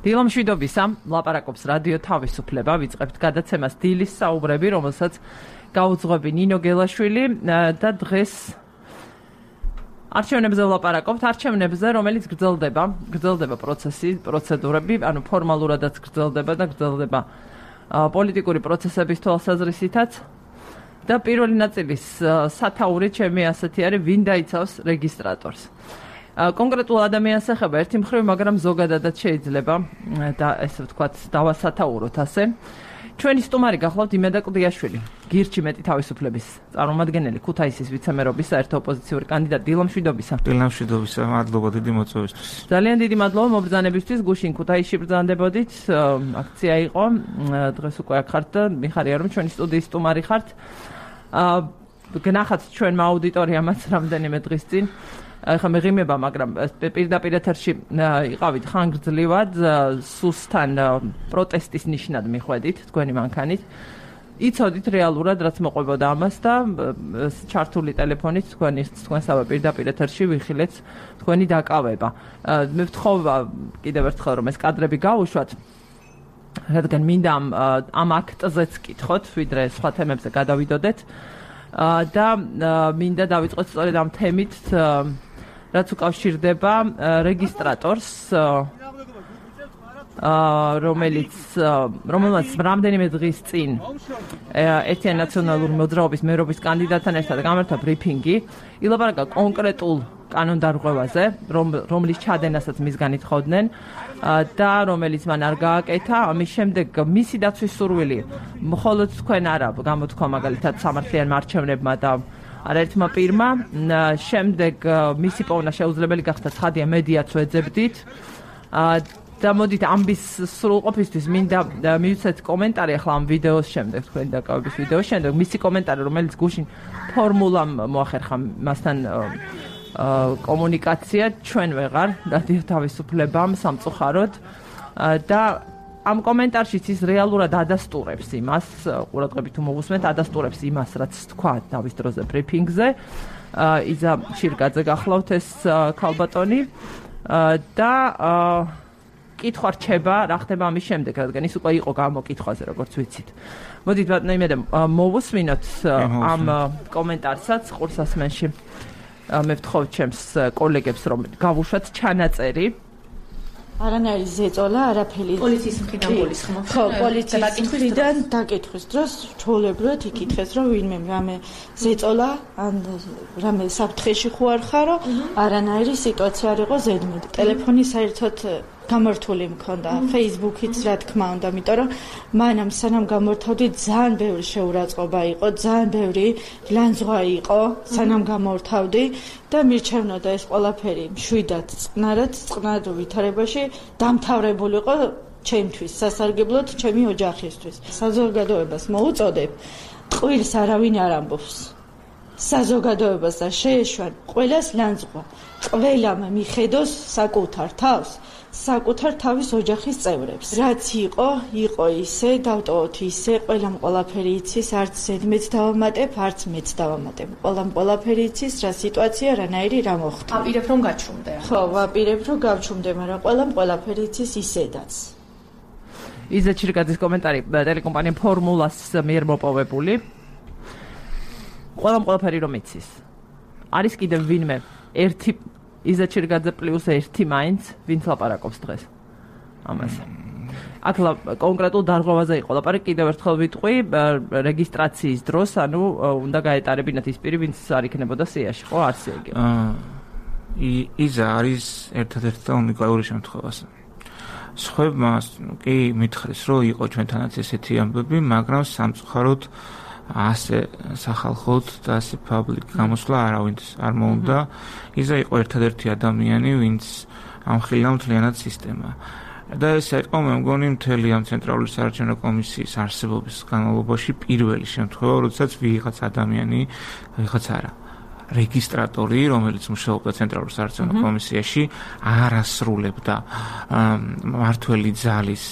დილამშვიდობისა, ლაპარაკობს რადიო თავისუფლება, ვიწყებთ გადაცემას დილის საუბრები, რომელსაც გაუძღვები ნინო გელაშვილი და დღეს არჩევნებზე ვლაპარაკობთ, არჩევნებზე, რომელიც გრძელდება პროცესი, პროცედურები, ანუ ფორმალურადაც გრძელდება და გრძელდება პოლიტიკური პროცესების თვალსაზრისითაც და პირველი ნაწილის სათაური ჩემი ასეთი არის, ვინ დაიცავს რეგისტრატორს. კონკრეტულ ადამიანს ეხება ერთი მხრივ, მაგრამ ზოგადადაც შეიძლება და ესე ვთქვათ, დავასათაუროთ ასე. ჩვენი სტუმარი გახლავთ იმედა კლდიაშვილი, გირჩი მეტი თავისუფლების წარმომადგენელი, ქუთაისის ვიცემერობის საერთო ოპოზიციური კანდიდატი. დილამშვიდობისა. დილამშვიდობისა, მადლობა დიდი მოწვევისთვის. ძალიან დიდი მადლობა მობრძანებისთვის, გუშინ ქუთაისში ბრძანდებოდით, აქცია იყო, დღეს უკვე აქ ხართ და მიხარია რომ ჩვენი სტუდიის სტუმარი ხართ. გნახათ ჩვენმა აუდიტორიამაც რამდენიმე დღის წინ. ახლა მეღიმება, მაგრამ პირდაპირ ეთერში იყავით ხანგრძლივად, სუსთან პროტესტის ნიშნად მიხვედით თქვენი მანქანით. იცოდით რეალურად რაც მოყვებოდა ამას და ჩართული ტელეფონით თქვენსავე პირდაპირ ეთერში ვიხილეთ თქვენი დაკავება. მე ვთხოვ კიდევ ერთხელ რომ ეს კადრები გავუშვათ, რადგან მინდა ამ აქტზეც კითხოთ, ვიდრე სხვა თემებზე გადავიდოდეთ და მინდა დავიწყოთ სწორედ ამ თემით, რაც უკავშირდება რეგისტრატორს, რომელმაც რამდენიმე დღის წინ ერთიანი ნაციონალური მოძრაობის მერობის კანდიდატთან ერთად გამართა ბრიფინგი, ილაპარაკა კონკრეტულ კანონდარღვევაზე, რომლის ჩადენასაც მისგან ითხოვდნენ და რომელიც მან არ გააკეთა. ამის შემდეგ მისი დაცვის სურვილი მხოლოდ თქვენ არა გამოთქვა მაგალითად სამართლიანმა არჩევნებმა და არაერთმა პირმა, შემდეგ მისი პოვნა შეუძლებელი გახდა, ცხადია, მედიაც ვეძებდით და მოდით ამის სრულყოფისთვის მინდა მივცეთ კომენტარი ახლა ამ ვიდეოს შემდეგ, თქვენი დაკავების ვიდეოს შემდეგ, მისი კომენტარი, რომელიც გუშინ ფორმულამ მოახერხა მასთან კომუნიკაცია, ჩვენ ვეღარ რადიო თავისუფლებამ სამწუხაროდ და ამ კომენტარშიც ის რეალურად ადასტურებს იმას, ყურადღებით თუ მოგусმენთ, ადასტურებს იმას, რაც თქვა დავის დროზე ბრიფინგზე. იზა შირგაძე გახლავთ ეს ქალბატონი და კითხვა რჩება, რა ხდება ამის შემდეგ, რადგან ის უკვე იყო გამოკითხვაზე, როგორც ვიცით. მოდით ბატონო იმედა მოვუსმინოთ ამ კომენტარსაც ყურსასმენში. მე ვთხოვ ჩემს კოლეგებს, რომ გავუშვათ ჩანაწერი. არანაირი ზეწოლა, არაფერი. პოლიციის მხრიდან გულისხმობ. ხო, პოლიციის მხრიდან დაკითხვის დროს ჩვეულებრივად იკითხეს, რომ ვინმე რამე ზეწოლა, ან რამე საფრთხეში ხარ ხარო, არანაირი სიტუაცია არ იყო ზედმეტ. ტელეფონი საერთოდ გამართული მქონდა, Facebook-იც რა თქმა უნდა, იმიტომ რომ მანამ სანამ გამორთავდი ძალიან ბევრი შეურაცხყოფა იყო, ძალიან ბევრი ლანძღვა იყო, სანამ გამორთავდი და მირჩევნოდა ეს ყველაფერი მშვიდად, წყნარ ვითარებაში დამთავრებული იყო ჩემთვის, სასარგებლოდ ჩემი ოჯახისთვის. საზოგადოებას მოუწოდებ, ტყუილს არავინ არ ამბობს. საზოგადოებას და შეეშვან ყველას ლანძღვა. ყველამ მიხედოს საკუთარ თავს, საკუთარ თავის ოჯახის წევრებს. რაც იყო ისე, დავტოვოთ ისე, ყველამ ყველაფერი იცის, არც ზედმეც დავამატებ, არც მეც დავამატებ. ყველამ ყველაფერი იცის, რა სიტუაცია, რანაირი რა მოხდა. ვაპირებ რომ გაჩვმდე. ხო, ვაპირებ რომ გავჩვმდე, მაგრამ ყველამ ყველაფერი იცის ისედაც. იზა შირგაძის კომენტარი ტელეკომპანია ფორმულას მიერ მოპოვებული. ყველამ ყველაფერი რომ იცის. არის კიდევ ვინმე ერთი იზა შირგაძე პლუს ერთი მაინც, ვინც ლაპარაკობს დღეს ამაზე. აქ კონკრეტულ დარღვევაზე იყო ლაპარაკი, კიდევ ერთხელ ვიტყვი, რეგისტრაციის დროს, ანუ უნდა გაეტარებინათ ის პირი, ვინც არ იქნებოდა სიაში, ხო, არც ეგ. იზა არის ერთადერთი და უნიკალური შემთხვევა. სხვებმა კი მითხრეს, რომ იყო ჩვენთანაც ესეთი ამბები, მაგრამ სამწუხაროდ ასე სახალხოდ და ასე public გამოსვლა არავინც არ მოუნდა. იზა იყო ერთადერთი ადამიანი, ვინც ამხილა მთლიანად სისტემა. და ეს იყო მე მგონი მთელი ამ ცენტრალური საარჩევნო კომისიის არსებობის განმავლობაში პირველი შემთხვევა, როდესაც ვიღაც ადამიანი, ვიღაც არა, რეგისტრატორი, რომელიც მუშაობდა ცენტრალურ საარჩევნო კომისიაში, არ ასრულებდა მმართველი ძალის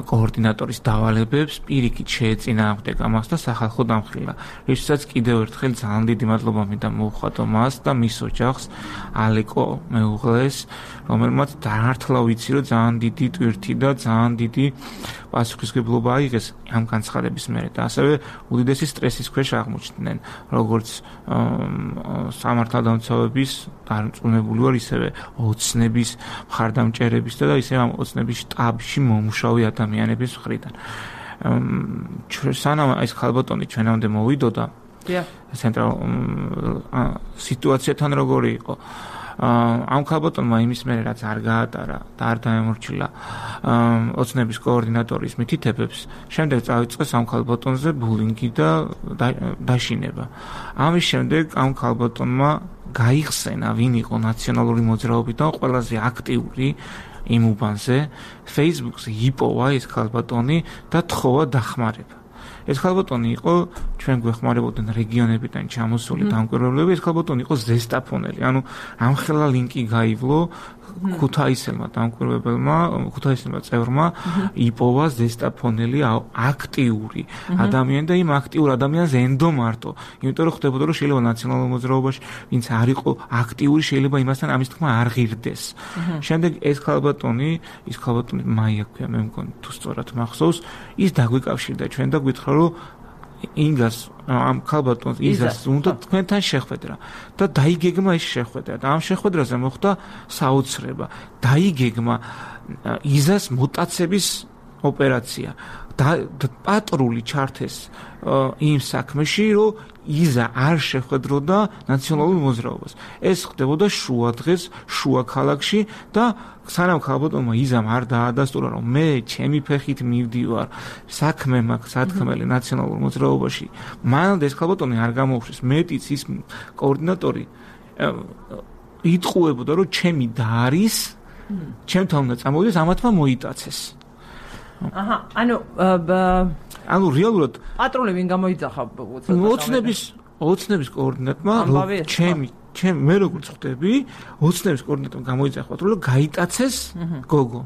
კოორდინატორის დავალებებს, პირიქით შეეწინააღმდეგა მას და სახალხო დამხილა. რისთვისაც კიდევ ერთხელ ძალიან დიდი მადლობა მინდა მოუხატო მას და მის ოჯახს, ალეკო მეუღლეს, რომელმაც დაართლა ვიცი, რომ ძალიან დიდი ტვირთი და ძალიან დიდი პასუხისმგებლობა აიღეს ამ განცხადების მერე და ასევე უდიდესი სტრესის ქვეშ აღმოჩნდნენ, როგორც სამართალდამცავების დარწმუნებული ვარ, ისევე ოცნების მხარდამჭერების და ისევე ამ ოცნების შტაბში მომუშავე ადამიანების მხრიდან. სანამ ეს ხალბატონი ჩვენამდე მოვიდოდა, სიტუაციათან როგორი იყო? ამ ხალბატონმა იმის მერე რაც არ გაატარა და არ დაემორჩილა ოცნების კოორდინატორის მითითებებს, შემდეგ წავიწყეს ამ ხალბატონზე ბულინგი და დაშინება. ამის შემდეგ ამ ხალბატონმა გაიხსენა, ვინ იყო ნაციონალური მოძრაობიდან ყველაზე აქტიური იმ უბანზე, Facebook-ზე იპოვა ეს ხალბატონი და თხოვა დახმარება. ეს ხალბატონი იყო ჩვენ გვეხმარებოდნენ რეგიონებიდან ჩამოსული დამკვირვებლები, ეს ხალბატონი იყო ზესტაფონელი, ანუ ამხელა ლინკი გაივლო ქუთაისელმა დამკვირვებელმა, ქუთაისელმა წევრმა იპოვა ზესტაფონელი აქტიური ადამიანი და იმ აქტიურ ადამიანს ენდო მარტო, იმიტომ რომ ხდებოდა რომ შეიძლება ნაციონალურ მოძრაობაში ვინც არ იყო აქტიური, შეიძლება იმასთან ამის თქმა არ ღირდეს. შემდეგ ეს ხალბატონი, ის ხალბატონი მაია ქვია, მე მგონი თუ სწორად მახსოვს, ის დაგვიკავშირდა ჩვენ და გითხრა რომ ინგას ამ ხალბატონს იზას უნდა თქვენთან შეხვედრა და დაიგეგმა ეს შეხვედრა და ამ შეხვედრაზე მოხდა საოცრება. დაიგეგმა იზას მუტაცების ოპერაცია და პატრული ჩართეს იმ საქმეში, რომ იზა არ შეხვედროდა ნაციონალურ მოძრაობას. ეს ხდებოდა შუა დღეს, შუა ქალაქში და სანამ ხალბატონმა იზამ არ დაადასტურა, რომ მე ჩემი ფეხით მივდივარ, საქმე მაქვს სათქმელი ნაციონალურ მოძრაობაში, მანამდე ეს ხალბატონი არ გამოუშვეს, მეტიც ის კოორდინატორი იტყუებოდა, რომ ჩემი და არის, ჩემთან უნდა წამოვიდეს, ამათმა მოიტაცეს. ანუ რეალურად პატრული ვინ გამოიძახა ოცნების კოორდინატორმა მე როგორც ხვდები, ოცნების კოორდინატორმა გამოიძახა პატრული, რომ გაიტაცეს გოგო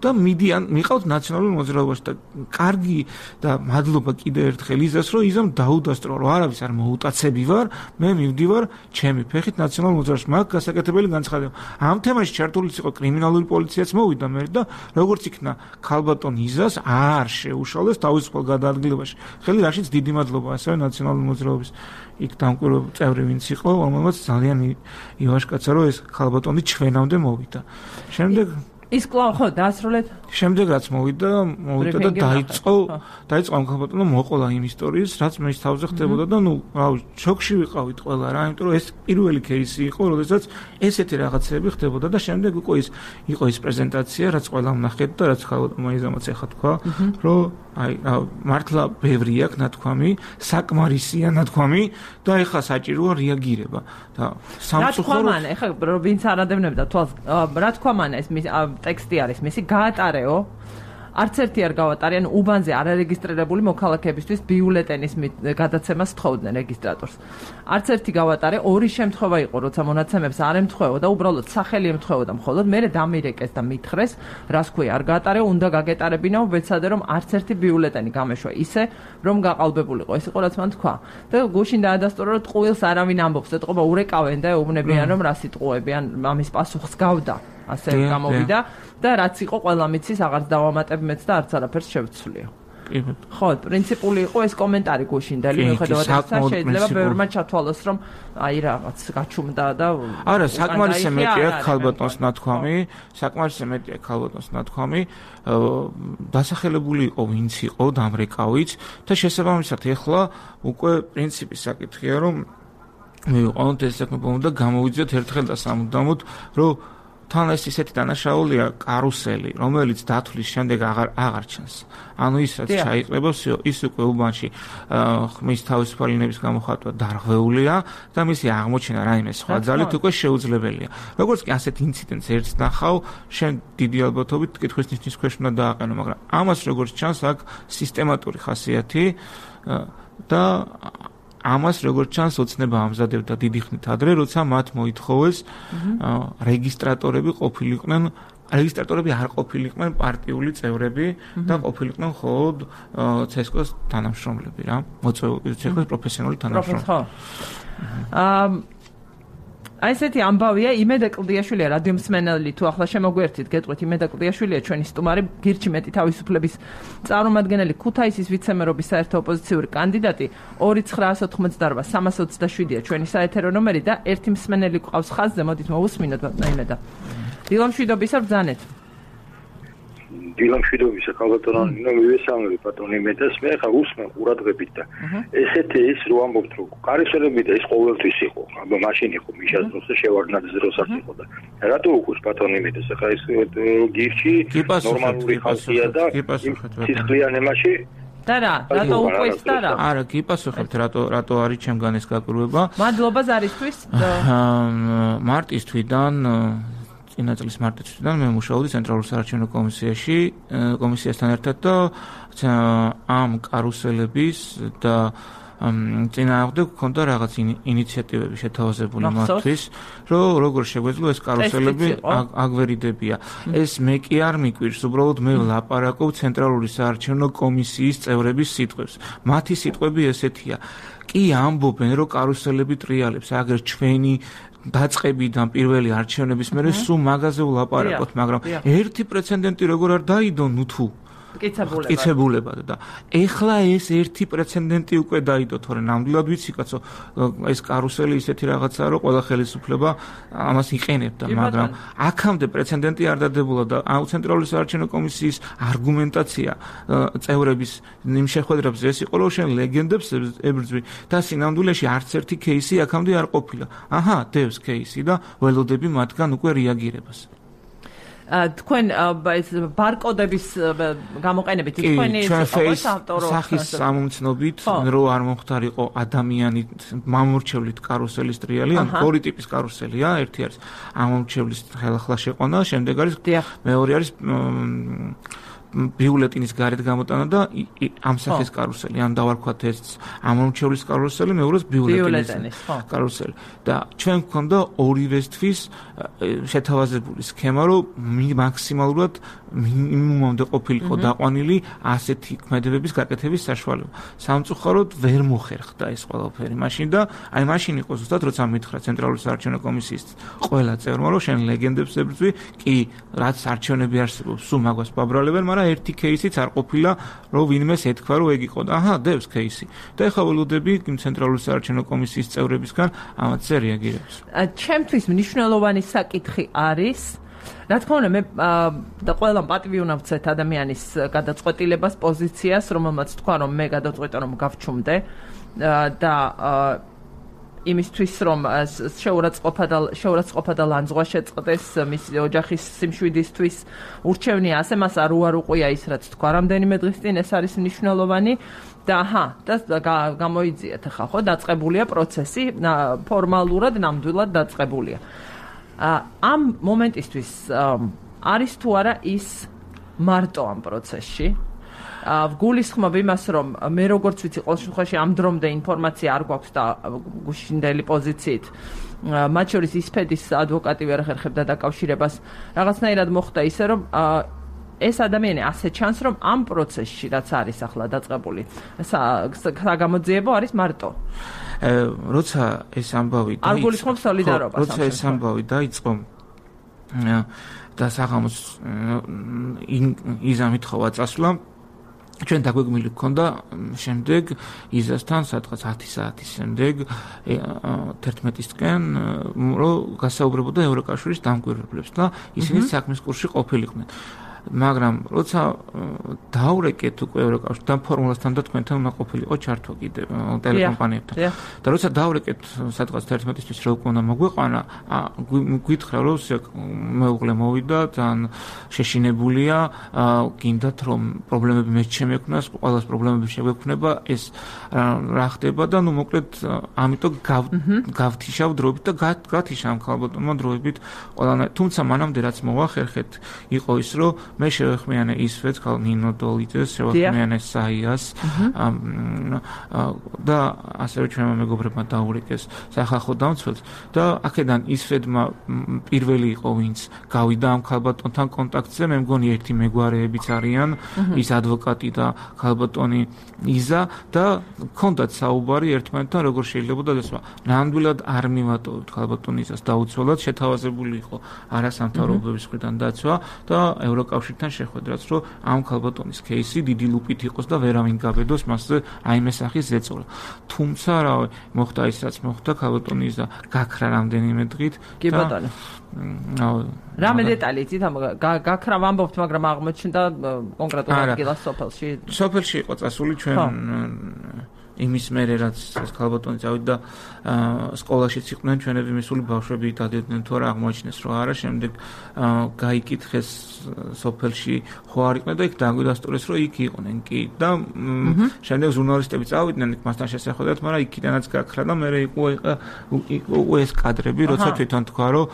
და მიყავთ ნაციონალურ მოძრაობაში და კარგი და მადლობა კიდევ ერთხელ იზას, რომ იზამ დაუდასტურა, რომ არავის არ მოუტაცები ვარ, მე მივდივარ ჩემი ფეხით ნაციონალურ მოძრაობაში. მაგ გასაკეთებელი განცხადება. ამ თემაში ჩართულიც იყო კრიმინალური პოლიციაც მოვიდა მე და როგორც იქნა ხალბატონ იზას არ შეუშალეს თავისუფალ გადაადგილებაში. ხელი რაშიც დიდი მადლობა ასევე ნაციონალური მოძრაობის იქ დამკვირვებელ წევრი ვინც იყო, რომელმაც ძალიან ივაშკაცა, რომ ეს ხალბატონი ჩვენამდე მოვიდა. შემდეგ ის კვლავ ხო დაასრულეთ? შემდეგ რაც მოვიდა და დაიწყო ამ ხალბატონმა მოყოლა იმ ისტორიის, რაც მე თავზე ხდებოდა და შოკში ვიყავით ყველა რა, იმიტომ რომ ეს პირველი кейსი იყო, როდესაც ესეთი რაღაცები ხდებოდა და შემდეგ იყო ის პრეზენტაცია, რაც ყველამ ნახეთ და რაც ხალბატონმა იზამაც ეხა თქვა, რომ მართლა ბევრი აქვს ნათქვამი, საკმარისია ნათქვამი და ეხა საჭიროა რეაგირება და სამწუხაროდ ეხა ვინც არ ადევნებდა თვალს, რა თქვა მან ეს ტექსტი არის მისი გაატარეო, არც ერთი არ გავატარიან უბანზე არარეგისტრირებული მოქალაქეებისთვის ბიულეტენის გადაცემას თხოვდნენ რეგისტრატორს. არც ერთი გავატარე, ორი შემთხვევა იყო, როცა მონაცემებს არ ემთხვეო და უბრალოდ სახელი ემთხვეოდა მხოლოდ, მერე დამირეკეს და მითხრეს, რას ქვია არ გაატარეო, უნდა გაგეტარებინაო, ვეცადე რომ არც ერთი ბიულეტენი გამეშვა ისე, რომ გაყალბებულიყო. ეს იყო რაც მან თქვა. და გუშინ დაადასტურა, რომ ტყუილს არავინ ამბობს, ეთყობა ურეკავენ და ეუბნებიან, რომ რას იტყუებიან, ამის პასუხს გავდა. ასე გამოვიდა და რაც იყო ყველა მიცის აღარც დავამატებ მეც და არც არაფერს შევცვლიო. ხო, პრინციპული იყო ეს კომენტარი გუშინდელი, მიუხედავად იმისა, შეიძლება ბევრმა ჩათვალოს, რომ აი რაღაც გაჩუმდა და არა, საკმარისზე მეტია ხალბატონს ნათქვამი, დასახელებული იყო ვინც იყო დამრეკავიც და შესაბამისად ეხლა უკვე პრინციპის საკითხია, რომ მივიყვანოთ ეს საქმე და გამოვიძიოთ ერთხელ და სამუდამოდ, რომ თან ეს ისეთი დანაშაულია კარუსელი, რომელიც დათვლის შემდეგ აღარ ჩანს. ანუ ის რაც ჩაიყრება, ის უკვე უბანში ხმის თავისუფალინების გამოხატვა დარღვეულია და მისი აღმოჩენა რაიმე სხვა ძალით უკვე შეუძლებელია. როგორც კი ასეთ ინციდენტს ერთს ნახავ, შენ დიდი ალბათობით კითხვის ნიშნის ქვეშ უნდა დააყენო, მაგრამ ამას როგორც ჩანს, აქ სისტემატური ხასიათი და ამას როგორც ჩანს ოცნება ამზადებდა დიდი ხნით ადრე, როცა მათ მოითხოვეს რეგისტრატორები ყოფილიყვნენ რეგისტრატორები არ ყოფილიყვნენ პარტიული წევრები და ყოფილიყვნენ მხოლოდ CSKA-ს თანამშრომლები რა, მოწვეული CSKA-ს პროფესიონალი თანამშრომლები. Აი ესეთი ამბავია იმედა კლდიაშვილია რადიო მსმენელი თუ ახლა შემოგვერთით გეტყვით იმედა კლდიაშვილია ჩვენი სტუმარი გირჩი მეტი თავისუფლების წარმომადგენელი ქუთაისის ვიცემერობის საერთო ოპოზიციური კანდიდატი 2988327-ია ჩვენი საეთერო ნომერი და ერთი მსმენელი ყავს ხაზზე მოდით მოვუსმინოთ ბატონო იმედა დილამშვიდობისა ბრძანეთ დილამშვიდობისა ქალბატონო მივესალმები ბატონო იმედას მე ხა უსმენ ყურადღებით და ესეთი ის რო ამბობთ რომ კარიშელები და ის ყოველთვის იყო აბა მაშინ იყო მიშას დროს და შევარდნაძის დროსაც იყო და რატო უკუს ბატონო იმედას ხა ის გირჩი ნორმალური ხალხია და სისხლიანებაში და რატო უკვე ის და რა არა გიპასუხებთ რატო არის ჩემგან ეს გაკვირვება მადლობა ზარისთვის მარტის თვიდან წინა წლის მარტიდან მე მუშაობდი ცენტრალურ საარჩევნო კომისიასთან ერთად და ამ კარუსელების და წინააღმდეგ გქონდა რაღაც ინიციატივები შეთავაზებული მათთვის, რომ როგორ შეგვეძლო ეს კარუსელები აგვერიდებია. ეს მე კი არ მიკვირს, უბრალოდ მე ვლაპარაკობ ცენტრალური საარჩევნო კომისიის წევრების სიტყვებს. მათი სიტყვები ესეთია. კი ამბობენ, რომ კარუსელები ტრიალებს, აგერ ჩვენი დაწყებიდან პირველი არჩევნების მერე სულ მაგაზე ვლაპარაკოთ, მაგრამ ერთი პრეცედენტი როგორ არ დაიდო, ნუ თუ მტკიცებულებად და ეხლა ეს ერთი პრეცედენტი უკვე დაიდო, თორე ნამდვილად ვიცი კაცო, ეს კარუსელი ისეთი რაღაცაა, რომ ყველა ხელისუფლება ამას იყენებდა, მაგრამ აქამდე პრეცედენტი არ დადებულა და ცენტრალური საარჩევნო კომისიის არგუმენტაცია წევრების იმ შეხვედრებზე ეს იყო, რომ შენ ლეგენდებს ებრძვი და სინამდვილეში არც ერთი кейსი აქამდე არ ყოფილა. აჰა, დევს кейსი და ველოდები მათგან უკვე რეაგირებას. თქვენ ბარკოდების გამოყენებით თქვენი სახის სამომცნობით რო არ მომხდარიყო ადამიანი მამორჩევლით კარუსელის ტრიალი ან ორი ტიპის კარუსელია ერთი არის ამომრჩევლის ხელახლა შეყვანა შემდეგ არის მეორე არის ბიულეტინის გარეთ გამოტანა და ამ სახის კარუსელი ან დავარქვათ ეს ამომრჩევლის კარუსელი მეორეს ბიულეტინის კარუსელი და ჩვენ გვქონდა ორივესთვის შეთავაზებული სქემა რომ მაქსიმალურად მინიმუმამდე ყოფილიყო დაყვანილი ასეთი ქმედებების გაკეთების საშუალება სამწუხაროდ ვერ მოხერხდა ეს ყველაფერი მაშინ და აი მაშინ იყო ზუსტად როცა მითხრა ცენტრალური საარჩევნო კომისიის ყველა წევრმა რომ შენ ლეგენდებს ებრძვი კი რაც არჩევნები არსებობს სულ მაგას ბაბრალებენ მაგრამ ერთი кейსიც არ ყოფილა რომ ვინმეს ეთქვა რომ ეგ იყო და აჰა დევს кейსი და ეხლა ველოდები ცენტრალური საარჩევნო კომისიის წევრებისგან ამათზე რეაგირებს ჩემთვის მნიშვნელოვანი საკითხი არის რა თქმა უნდა მე და ყველამ პატივი უნდა ვცეთ ადამიანის გადაწყვეტილებას პოზიციას რომელმაც თქვა რომ მე გადაწყვეტა რომ გავჩუმდე და იმისთვის რომ შეურაცხყოფა და ლანძღვა შეწყდეს მის ოჯახის სიმშვიდისთვის ურჩევნია ასე მას არ უარუყია ის რაც თქვა რამდენიმე დღის წინ ეს არის მნიშვნელოვანი და და გამოიძიეთ ახლა ხო დაწყებულია პროცესი ფორმალურად ნამდვილად დაწყებულია ამ მომენტისთვის არის თუ არა ის მარტო ამ პროცესში გულისხმობ იმას რომ მე როგორც ვიცი ყოველ შემთხვევაში ამ დრომდე ინფორმაცია არ გვაქვს და გუშინდელი პოზიციით მათ შორის ისფედის ადვოკატი ვერ ახერხებდა დაკავშირებას რაღაცნაირად მოხდა ისე რომ ეს ადამიანი ასე ჩანს რომ ამ პროცესში რაც არის ახლა დაწყებული საგამოძიებო არის მარტო როცა ეს ამბავი არ გულისხმობ სოლიდარობას როცა ეს ამბავი დაიწყო და საღამოს იზამით ხოვა წასვლა ჩვენ დაგვეგმილი გქონდა შემდეგ იზასთან სადღაც 10 საათის შემდეგ 11-ისკენ რომ გასაუბრებოდა ევროკავშირის დამკვირვებლებს და ისინი საქმის კურსში ყოფილიყვნენ მაგრამ როცა დავრეკეთ უკვე ევროკავშირს და ფორმულასთან და თქვენთან უნდა ყოფილიყო ჩართვა კიდე ტელეკომპანიებთან და როცა დავრეკეთ სადღაც 11-ისთვის რა უკვე უნდა მოგვეყვანა გითხრა რომ მეუღლე მოვიდა ძალიან შეშინებულია გინდათ რომ პრობლემები მეც შემექმნას ყველას პრობლემები შეგვექმნება ეს რა ხდება და ნუ მოკლედ ამიტომ გავთიშავ დროებით და გათიშავ ალბათ დროებით ყველანაირად თუმცა მანამდე რაც მოვახერხეთ იყო ის რომ მე შევეხმიანე ისვეც ნინო დოლიძეს, შევეხმიანე საიას და ასევე ჩვენმა მეგობრებმა დაურეკეს სახალხო დამცველს და აქედან ისვედმა პირველი იყო ვინც გავიდა ამ ქალბატონთან კონტაქტზე, მე მგონი ერთი მეგვარეებიც არიან, ის ადვოკატი და ქალბატონი იზა და ჰქონდათ საუბარი ერთმანეთთან როგორ შეიძლებოდა ეს ნამდვილად არ მივატოვებთ ქალბატონ იზას დაუცველად შეთავაზებული იყო არასამთავრობოების მხრიდან დაცვა და ევროკავშირთან შეხვედრაც რომ ამ ქალბატონის кейსი დიდი ლუპით იყოს და ვერავინ გაბედოს მასზე აიმე სახის ზეწოლა. თუმცა რავი, მოხდა ის რაც მოხდა, ქალბატონი იზა გაქრა რამდენიმე დღით. კი ბატონო. რამე დეტალი იცით ამ გაქრა ვამბობთ, მაგრამ აღმოჩნდა კონკრეტულ ადგილას სოფელში. სოფელში იყო წასული ჩვენ იმის მერე რაც ეს ქალბატონი წავიდა სკოლაშიც იყვნენ ჩვენები მისული ბავშვები დადიოდნენ თუ არა აღმოაჩინეს რომ არა შემდეგ გაიკითხეს სოფელში ხო არ იყვნენ და იქ დაგვიდასტურეს რომ იქ იყვნენ კი და შემდეგ ჟურნალისტები წავიდნენ იქ მასთან შესახვედრად მაგრამ იქიდანაც გაქრა და მერე იყო ეს კადრები როცა თვითონ თქვა რომ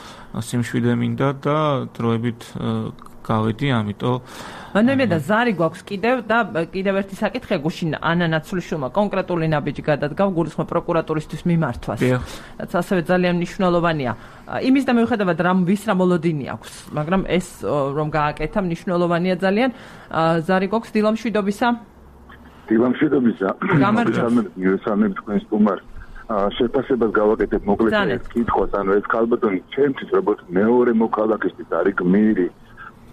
სიმშვიდე მინდა და დროებით გავედი ამიტომ მე და ზარი გვაქვს კიდევ ერთი საკითხია გუშინ ანა ნაცვლიშვილმა კონკრეტული ნაბიჯი გადადგა გულისხმობ პროკურატურისთვის მიმართვას რაც ასევე ძალიან მნიშვნელოვანია იმის და მიუხედავად ვის რა მოლოდინი აქვს მაგრამ ეს რომ გააკეთა მნიშვნელოვანია ძალიან ზარი გვაქვს დილამშვიდობისა გამარჯობა თქვენს სტუმარს შეფასებას გავაკეთებ მოკლედ კითხვას ანუ ეს ქალბატონი ჩემთვის როგორც მეორე მოქალაქისთვის არის გმირი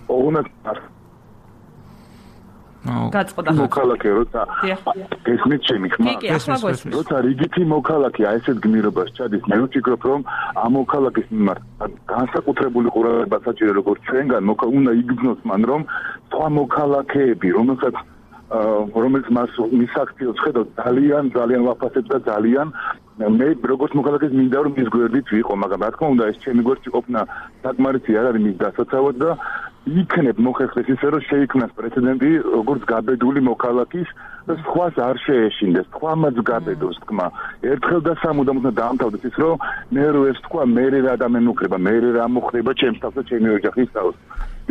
ოღონდ გაწყდა მოქალაქე როცა გესმით ჩემი ხმა როცა რიგითი მოქალაქე ესეთ გმირობას ჩადის მე ვფიქრობ რომ ამ მოქალაქის მიმართ განსაკუთრებული ყურადღება საჭირო როგორც ჩვენგან უნდა იგრძნოს მან რომ სხვა მოქალაქეები რომელიც მას მის აქციებს ხედავ ძალიან ვაფასებ და ძალიან მე როგორც მოქალაქეს მინდა რომ მის გვერდით ვიყო მაგრამ რა თქმა უნდა ეს ჩემი გვერდში ყოფნა საკმარისი არ არის მის დასაცავად და იქნებ მოხერხდეს ისე რომ შეიქმნას პრეცედენტი როგორც გაბედული მოქალაქის და სხვას არ შეეშინდეს სხვამაც გაბედოს თქმა ერთხელ და სამუდამოდ დაამთავრდეს ის რომ მე რო ეს თქვა მე რა დამემუქრება მე რა მოხდება ჩემს თავს და ჩემი ოჯახის თავს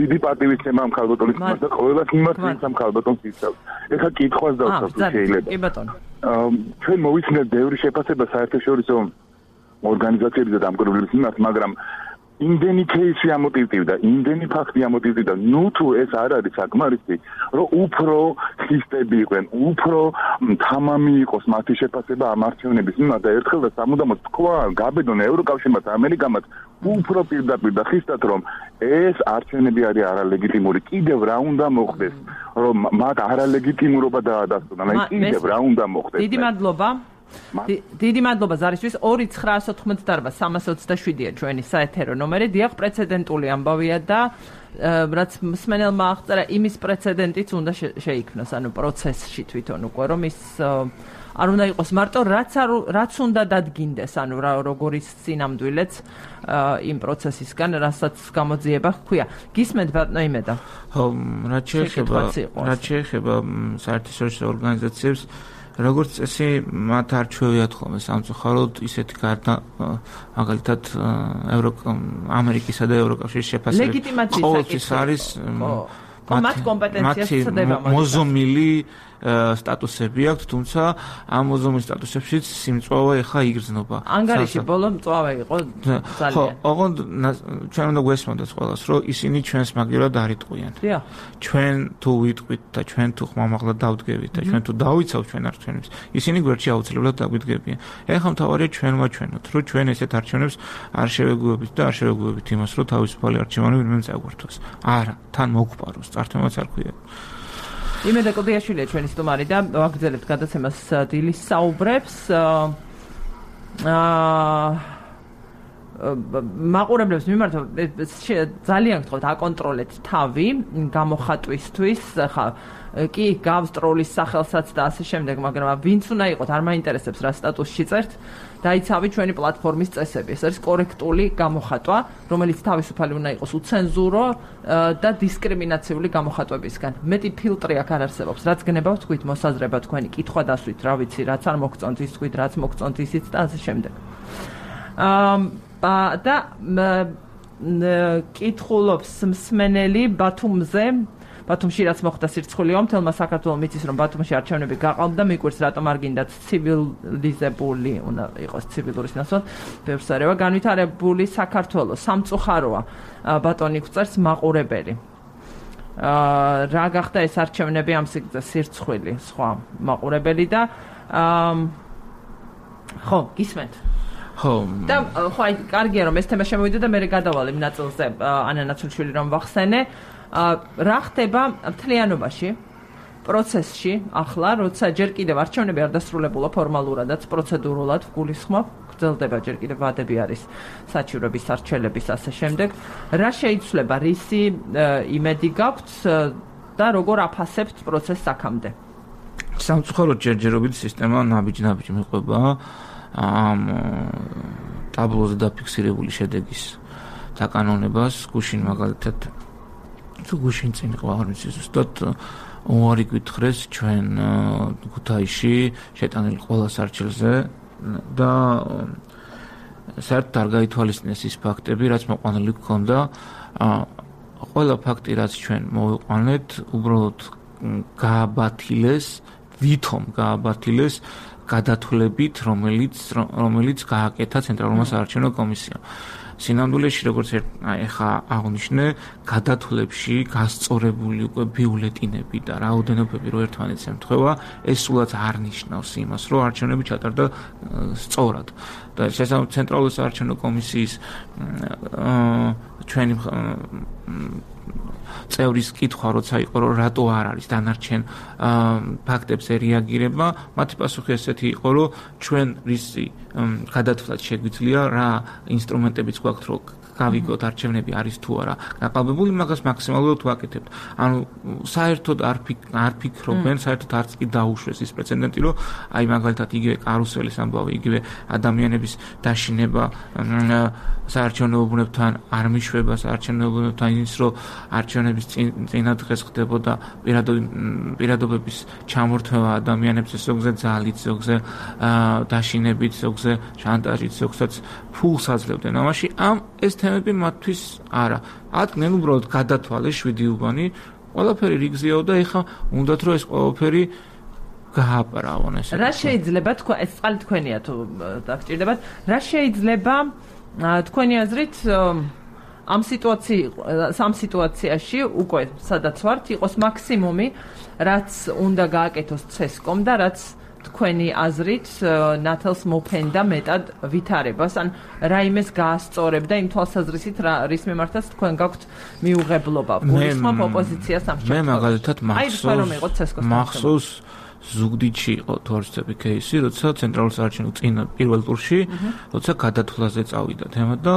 დიდი პატივისცემა ამ ქალბატონის მიმართ და ყოველას მიმართ ვინც ამ ქალბატონს იცავს ეხა კითხვას დავსვათ თუ შეიძლება კი ბატონო ჩვენ მოვიცნეთ ბევრი შეფასება საერთაშორისო ორგანიზაციებისა და დამკვირვებლების მიმართ მაგრამ იმდენი кейსი ამოტივტივდა, იმდენი ფაქტი ამოტივტივდა, ნუ თუ ეს არ არის საკმარისი, რომ უფრო სისტემები იყვნენ, უფრო თამამი იყოს მათი შეფასება ამ არჩევნების მიმართ და ერთხელ და სამუდამოდ თქვა, გაბედონ ევროკავშირმაც, ამერიკამაც უფრო პირდაპირ და ხისტად რომ ეს არჩევნები არის არალეგიტიმური, კიდევ რა უნდა მოხდეს, რომ მათ არალეგიტიმურობა დაადასტურონ, აი კიდევ რა უნდა მოხდეს. დიდი მადლობა. დიდი მადლობა ზარისთვის 2988327-ია ჩვენი საეთერო ნომერი. დიახ, პრეცედენტული ამბავია და რაც მსმენელმა აღწერა, იმის პრეცედენტიც უნდა შეიქმნას, ანუ პროცესში თვითონ უკვე რომ ის არ უნდა იყოს მარტო რაც უნდა დადგინდეს, ანუ როგორი სინამდვილეც იმ პროცესისგან, რასაც გამოძიება ჰქვია. გისმენთ ბატონო იმედა? ხო, რაც შეეხება საერთაშორისო ორგანიზაციებს როგორც წესი მათ არჩევიათ ხოლმე სამწუხაროდ ისეთი გარდა მაგალითად ამერიკისა და ევროკავშირის შეფასება ყოველთვის არის მათ კომპეტენციას ცდება მოზომილი სტატუსები აქვს, თუმცა ამ მოზომილ სტატუსებშიც სიმწვავე ხა იგრძნობა. ანგარიში ბოლო მწვავე იყო ძალიან. ხო, ოღონდ ჩვენ უნდა გვესმოდეთ ყველას, რომ ისინი ჩვენს მაგივრად არ იტყვიან. ჩვენ თუ ვიტყვით და ჩვენ თუ ხმამაღლა დავდგებით და ჩვენ თუ დავიცავთ ჩვენ არჩევნებს, ისინი გვერდში აუცილებლად დაგვიდგებიან. ეხლა მთავარია ჩვენ ვაჩვენოთ, რომ ჩვენ ესეთ არჩევნებს არ შევეგუებით და არ შევეგუებით იმას, რომ თავისუფალი არჩევანი ვინმე წაგვართვას. არა, თან მოგყვაროს, წართვემაც არ ქვია. იმედა კოდიაშვილია ჩვენი სტუმარი და ვაგრძელებთ გადაცემას დილის საუბრებს. მაყურებლებს მიმართ ძალიან გთხოვთ აკონტროლეთ თავი გამოხატვისთვის. ხა კი გავს ტროლის სახელსაც და ასე შემდეგ, მაგრამ ვინც უნდა იყოთ, არ მაინტერესებს რა სტატუსში წერთ. დაიცავი ჩვენი პლატფორმის წესები. ეს არის კორექტული გამოხატვა, რომელიც თავისუფალი უნდა იყოს უცენზურო და დისკრიმინაციული გამოხატვებისგან. მეტი ფილტრი აქ არ არსებობს. რაც გნებავთ, თქვით მოსაზრება თქვენი, კითხვა დასვით, რა ვიცი, რაც არ მოგწონთ, ის თქვით, რაც მოგწონთ, ისიც და ასე შემდეგ. და კითხულობს მსმენელი ბათუმში რაც მოხდა სირცხვილეო, მთელმა საქართველოს მიცის რომ ბათუმში არჩევნები გაყალბდა, მიკვირს რატომ არ გინდათ ცივილიზებული, უნდა იყოს ცივილურის ნაცვლად, ბევრს არევა განვითარებული საქართველოს სამწუხაროა, ბატონი გვწერს მაყურებელი. რა გახდა ეს არჩევნები ამ სირცხვილი, სხვა მაყურებელი და ხო, გისმენთ. ხო. და ხო, აი კარგია რომ ეს თემა შემოვიდა და მე გადავალ იმ ნაწილზე ანა ნაცულიშვილი რომ ვახსენე. რა ხდება მთლიანობაში პროცესში ახლა, როცა ჯერ კიდევ არჩევნები არ დასრულებულა ფორმალურადაც, პროცედურულად გულისხმობ, გრძელდება ჯერ კიდევ ვადები არის საჩივრების, არჩევნების ასე შემდეგ. რა შეიცვლება, რისი იმედი გაქვთ და როგორ აფასებთ პროცესს აქამდე? სამწუხაროდ ჯერჯერობით სისტემა ნაბიჯ-ნაბიჯ მიყვება ამ ტაბლოზე დაფიქსირებული შედეგის დაკანონებას, გუშინ მაგალითად თუ გუშინ წინ ყავარ მის ზუსტად უარი გითხრეს ჩვენ ქუთაისში შეტანილი ყველა სარჩელზე და საერთოდ არ გაითვალისწინეს ის ფაქტები, რაც მოყვანილი გქონდა. ყველა ფაქტი, რაც ჩვენ მოვიყვანეთ, უბრალოდ გააბათილეს, ვითომ გააბათილეს გადათვლებით, რომელიც გააკეთა ცენტრალურმა საარჩევნო კომისიამ. სინამდვილეში როგორც ეხა აღნიშნე, გადათვლებში გასწორებული უკვე ბიულეტინები და რაოდენობები რო ერთმანეთს ემთხვევა, ეს სულაც არ ნიშნავს იმას, რომ არჩევნები ჩატარდა სწორად. და ცენტრალური საარჩევნო კომისიის ჩვენი წევრის კითხვა როცა იყო რომ რატო არ არის დანარჩენ ფაქტებზე რეაგირება, მათი პასუხი ესეთი იყო რომ ჩვენ რისი გადათვლაც შეგვიძლია, რა ინსტრუმენტებიც გვაქვს რომ გავიგოთ არჩევნები არის თუ არა გაყალბებული, მაგას მაქსიმალურად ვაკეთებთ. ანუ საერთოდ არ ფიქრობენ, საერთოდ არც კი დაუშვეს ის პრეცედენტი, რომ აი მაგალითად იგივე კარუსელის ამბავი, იგივე ადამიანების დაშინება საარჩევნო უბნებთან არ მიშვება, საარჩევნო უბნებთან ის რომ არჩევნების წინა დღეს ხდებოდა პირადობების ჩამორთმევა ადამიანებზე, ზოგზე ძალით, ზოგზე დაშინებით, ზოგზე შანტაჟით, ზოგსაც ფულს აძლევდნენ. ამაში ეს თემები მათთვის არა. ატკნენ უბრალოდ გადათვალეს 7 უბანი, ყველაფერი რიგზეაო და ეხა უნდათ რომ ეს ყველაფერი გააპარავონ ესე. რა შეიძლება თქვა ეს წყალი თქვენია თუ დაგჭირდებათ, რა შეიძლება თქვენი აზრით ამ სიტუაციაში უკვე სადაც ვართ იყოს მაქსიმუმი, რაც უნდა გააკეთოს CESCOM და რაც თქვენი აზრით ნათელს მოფენდა მეტად ვითარებას, ან რაიმეს გაასწორებდა იმ თვალსაზრისით, რის მიმართაც თქვენ გაქვთ მიუღებლობა, გულისხმობ ოპოზიციას ამ შემთხვევაში. მე მაგალითად მახსოვს ზუგდიდში იყო თორცები кейსი, როცა ცენტრალურ საარჩევნო წინა პირველ ტურში, როცა გადათვლაზე წავიდა თემა და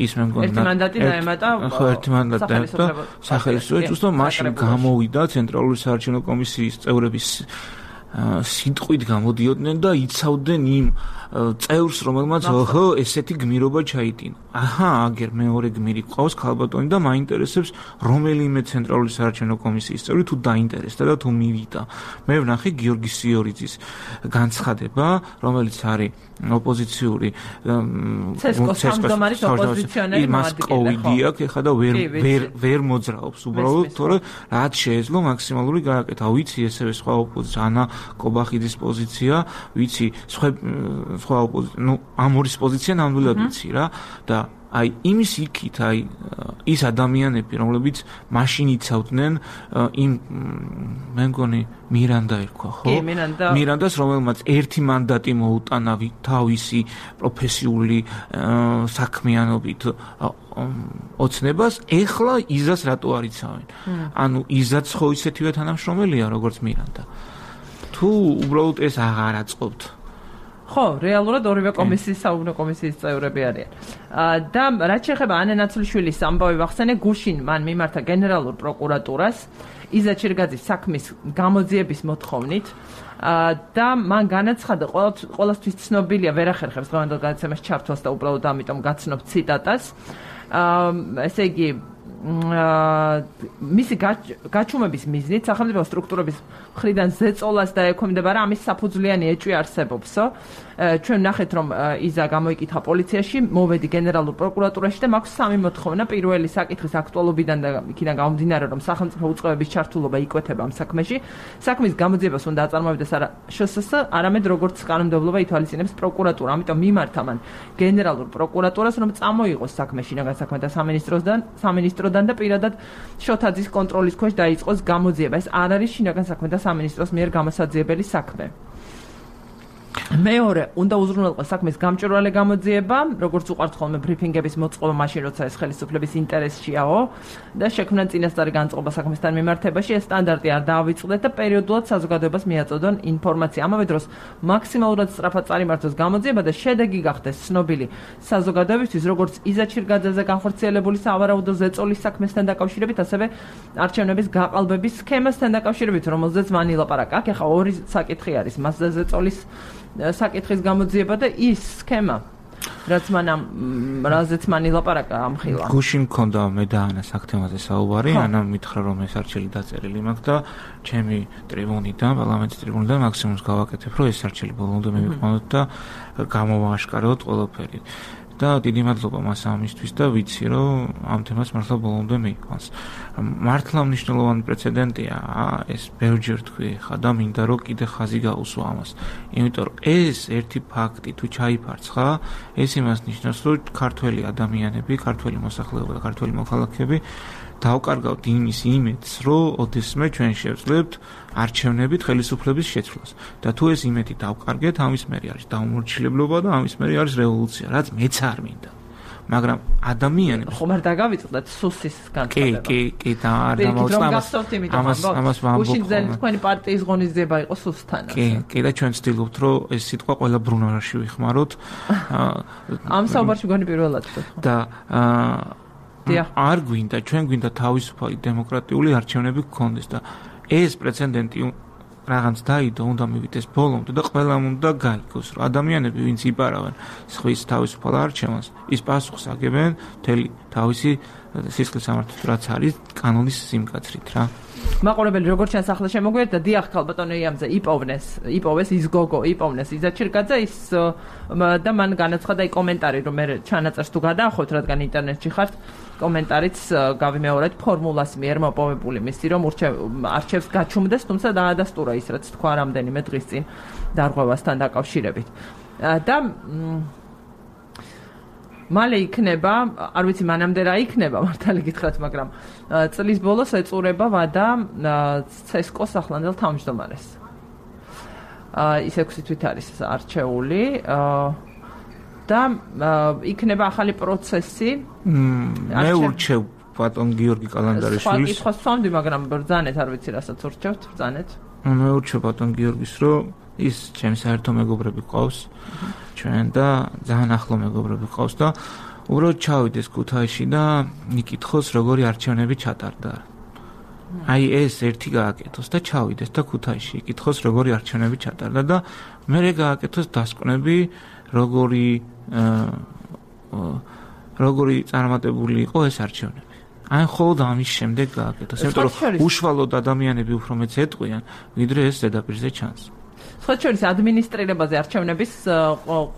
ის მე მგონი ერთი მანდატი დაემატა. ხო, ერთი მანდატი დაემატა სახელმწიფოებს, უბრალოდ მაშინ გამოვიდა ცენტრალური საარჩევნო კომისიის წევრების სიტყვით გამოდიოდნენ და იცავდნენ იმ წევრს, რომელმაც ოჰო, ესეთი გმირობა ჩაიტინა. აჰა, აგერ მეორე გმირი ყავს ქალბატონი და მაინტერესებს რომელიმე ცენტრალური საარჩევნო კომისიის წევრი თუ დაინტერესდა და თუ მივიდა. მე ვნახე გიორგი სიორიძის განცხადება, რომელიც არის ოპოზიციური CESCOM-ის ოპოზიციონერი COVID აქვს ეხლა და ვერ მოძრაობს უბრალოდ, თორე რაც შეეძლო მაქსიმალური გააკეთა. ვიცი ესევე სხვა ოპოზიცია, ანა კობახიძის პოზიცია, ვიცი სხვა ოპოზიცია, ნუ ამორის პოზიცია ნამდვილად ვიცი რა და აი იმის იქით აი ის ადამიანები, რომლებიც მაშინ იცავდნენ იმ მე მგონი მირანდა ერქვა, ხო? მირანდას, რომელმაც ერთი მანდატი მოუტანა თავისი პროფესიული საქმიანობით ოცნებას, ეხლა იზას რატო არ იცავენ? ანუ იზაც ხო ისეთივე თანამშრომელია, როგორც მირანდა. თუ უბრალოდ ეს აღარ აწყობთ. ხო, რეალურად ორივე კომისიის საუბნო კომისიის წევრები არიან. და რაც შეეხება ანა ნაცვლიშვილის ამბავი ვახსენე, გუშინ მან მიმართა გენერალურ პროკურატურას იზა ჩირგაძის საქმის გამოძიების მოთხოვნით და მან განაცხადა, ყველასთვის ცნობილია, ვერ ახერხებს დღევანდელ გადაცემაში ჩართვას და უბრალოდ ამიტომ გაცნობ ციტატას. ესე იგი მისი გაჩუმების მიზნით სახელმწიფო სტრუქტურების მხრიდან ზეწოლას და ექვემდებარა ამის საფუძვლიანი ეჭვი არსებობსო. ჩვენ ნახეთ რომ იზა გამოიკითხა პოლიციაში, მოვედი გენერალურ პროკურატურაში და მაქვს 3 მოთხოვნა. პირველი საკითხის აქტუალობიდან და იქიდან გამომდინარე რომ სახელმწიფო უწყებების ჩართულობა იკვეთება ამ საქმეში. საქმის გამოძიებას უნდა აწარმოებდეს არა შსს, არამედ როგორც კანონმდებლობა ითვალისწინებს პროკურატურა. ამიტომ მიმართა მან გენერალურ პროკურატურას რომ წამოიღოს საქმე შინაგან საქმეთა სამინისტროდან და პირადად შოთაძის კონტროლის ქვეშ დაიწყოს გამოძიება. ეს არ არის შინაგან საქმეთა სამინისტროს მიერ გამოსაძიებელი საქმე. მეორე, უნდა უზრუნველყოს საქმის გამჭვირვალე გამოძიება, როგორც უყვართ ხოლმე ბრიფინგების მოწყობა მაშინ, როცა ეს ხელისუფლების ინტერესშიაო და შექმნან წინასწარი განწყობა საქმესთან მიმართებაში, ეს სტანდარტი არ დაავიწყდეთ და პერიოდულად საზოგადოებას მიაწოდონ ინფორმაცია. ამავე დროს მაქსიმალურად სწრაფად წარიმართოს გამოძიება და შედეგი გახდეს ცნობილი საზოგადოებისთვის, როგორც იზა ჩირგაძეზე განხორციელებული სავარაუდო ზეწოლის საქმესთან დაკავშირებით, ასევე არჩევნების გაყალბების სქემასთან დაკავშირებით, რომელზეც მან ილაპარაკა. აქ ახლა ორი საკითხი არის, მასზე ზეწოლის საკითხის გამოძიება და ის სქემა, რაზეც მან ილაპარაკა ამ ხილვა. გუში მქონდა მე და ანას აქ თემაზე საუბარი, ანა მითხრა რომ ეს არჩელი დაწერილი მაქვს და ჩემი ტრიბუნიდან, პარლამენტის ტრიბუნიდან მაქსიმუმს გავაკეთებ, რომ ეს არჩელი ბოლომდე მივიყვანოთ და გამოვააშკაროთ ყველაფერი. და დიდი მადლობა მას ამისთვის და ვიცი რომ ამ თემას მართლა ბოლომდე მიიყვანს. მართლა მნიშვნელოვანი პრეცედენტია ეს ბევრჯერ თქვი ხა და მინდა რომ კიდე ხაზი გაუსვა ამას. იმიტომ რომ ეს ერთი ფაქტი თუ ჩაიფარცხა, ეს იმას ნიშნავს რომ ქართველი ადამიანები, ქართველი მოსახლეობა და ქართველი მოქალაქეები დავკარგავთ იმის იმედს, რომ ოდესმე ჩვენ შევძლებთ არჩევნებით ხელისუფლების შეცვლას. და თუ ეს იმედი დავკარგეთ, ამის მერე არის დაუმორჩილებლობა და ამის მერე არის რევოლუცია, რაც მეც არ მინდა. მაგრამ ადამიანებს ხომ არ დაგავიწყდეთ სუსის განცხადება. კი და არ დამოწამს. ამას ვამბობ. უშინძელი თქვენი პარტიის ღონისძიება იყო სუსთანაც. კი და ჩვენ ვცდილობთ, რომ ეს სიტყვა ყველა ბრუნვაში ვიხმაროთ. ამ საუბარში გონი პირველად და არ გვინდა, ჩვენ გვინდა თავისუფალი დემოკრატიული არჩევნები გქონდეს და ეს პრეცედენტი რაღაც დაიდო, უნდა მივიდეს ბოლომდე და ყველამ უნდა გაიგოს, რომ ადამიანები, ვინც იპარავენ სხვის თავისუფალ არჩევანს, ის პასუხს აგებენ მთელი თავისი სისხლის სამართლით, რაც არის კანონის სიმკაცრით რა. მაყურებელი როგორც ჩანს ახლა შემოგვიერთდა დიახ ქალბატონო იამზე იპოვეს ის გოგო იპოვნეს იზა ჩირგაძე ის და მან განაცხადა კომენტარი რომ მე ჩანაწერს თუ გადაახოთ რადგან ინტერნეტში ხართ კომენტარიც გავიმეორეთ ფორმულას მიერ მოპოვებული მისი რომ არჩევს გაჩუმდეს თუმცა დაადასტურა ის რაც თქვა რამდენიმე დღის წინ დარღვევასთან დაკავშირებით და მალე იქნება, არ ვიცი მანამდე რა იქნება, მართალი გითხრათ, მაგრამ წლის ბოლოს ეწურება ვადა ცესკოს ახლანდელ თავმჯდომარეს. ის 6 თვით არის არჩეული და იქნება ახალი პროცესი. მე ურჩევ ბატონ გიორგი კალანდარიშვილის. სხვა სვამდი, მაგრამ ბრძანეთ, არ ვიცი რასაც ურჩევთ, ბრძანეთ. მე ურჩევ ბატონ გიორგის, რომ ის ჩემს საერთო მეგობრები ყავს. ჩვენ და ძალიან ახლო მეგობრები ყავს და უბრალოდ ჩავიდეს ქუთაისში და იკითხოს როგორი არჩევნები ჩატარდა. აი ეს ერთი გააკეთოს და ჩავიდეს და ქუთაისში იკითხოს როგორი არჩევნები ჩატარდა და მერე გააკეთოს დასკვნები როგორი წარმატებული იყო ეს არჩევნები. აი ხოლმე ამის შემდეგ გააკეთოს, იმიტომ რომ უშუალოდ ადამიანები უფრო მეც ეტყვიან, ვიდრე ეს ზედაპირზე ჩანს. ხოჩორის ადმინისტრირებაზე არჩევნების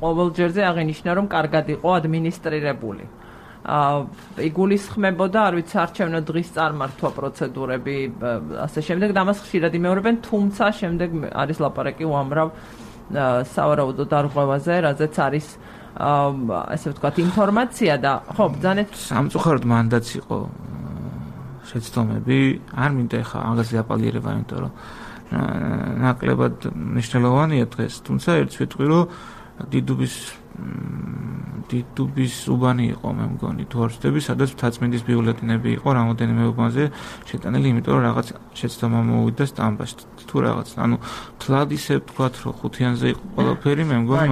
ყოველჯერზე აღინიშნა რომ კარგად იყო ადმინისტრირებული. იგულისხმებოდა, არ ვიცი, არჩევნო დღის წარმართვა პროცედურები, ასე შემდეგ და ამას ხშირად იმეორებენ, თუმცა შემდეგ არის ლაპარაკი უამრავ სავარაუდო დარღვევაზე, რაზეც არის ასე ვთქვათ ინფორმაცია და ხო, ბრძანეთ სამწუხაროდ მანდაც იყო შეცდომები, არ მინდა ხა ამაზე აპალიერება, იმიტომ რომ ნაკლებად მნიშვნელოვანია დღეს, თუმცა ერთს ვიტყვი, რომ დიდუბის უბანი იყო, მე მგონი, თუ არ ვცდები, სადაც მთაწმინდის ბიულეტენები იყო რამოდენიმე უბანზე შეტანილი, იმიტომ რომ რაღაც შეცდომა მოვიდა სტამბაში, თუ რაღაც, ანუ თლად ისე ვთქვათ, რომ ხუთიანზე იყო ყველაფერი, მე მგონი,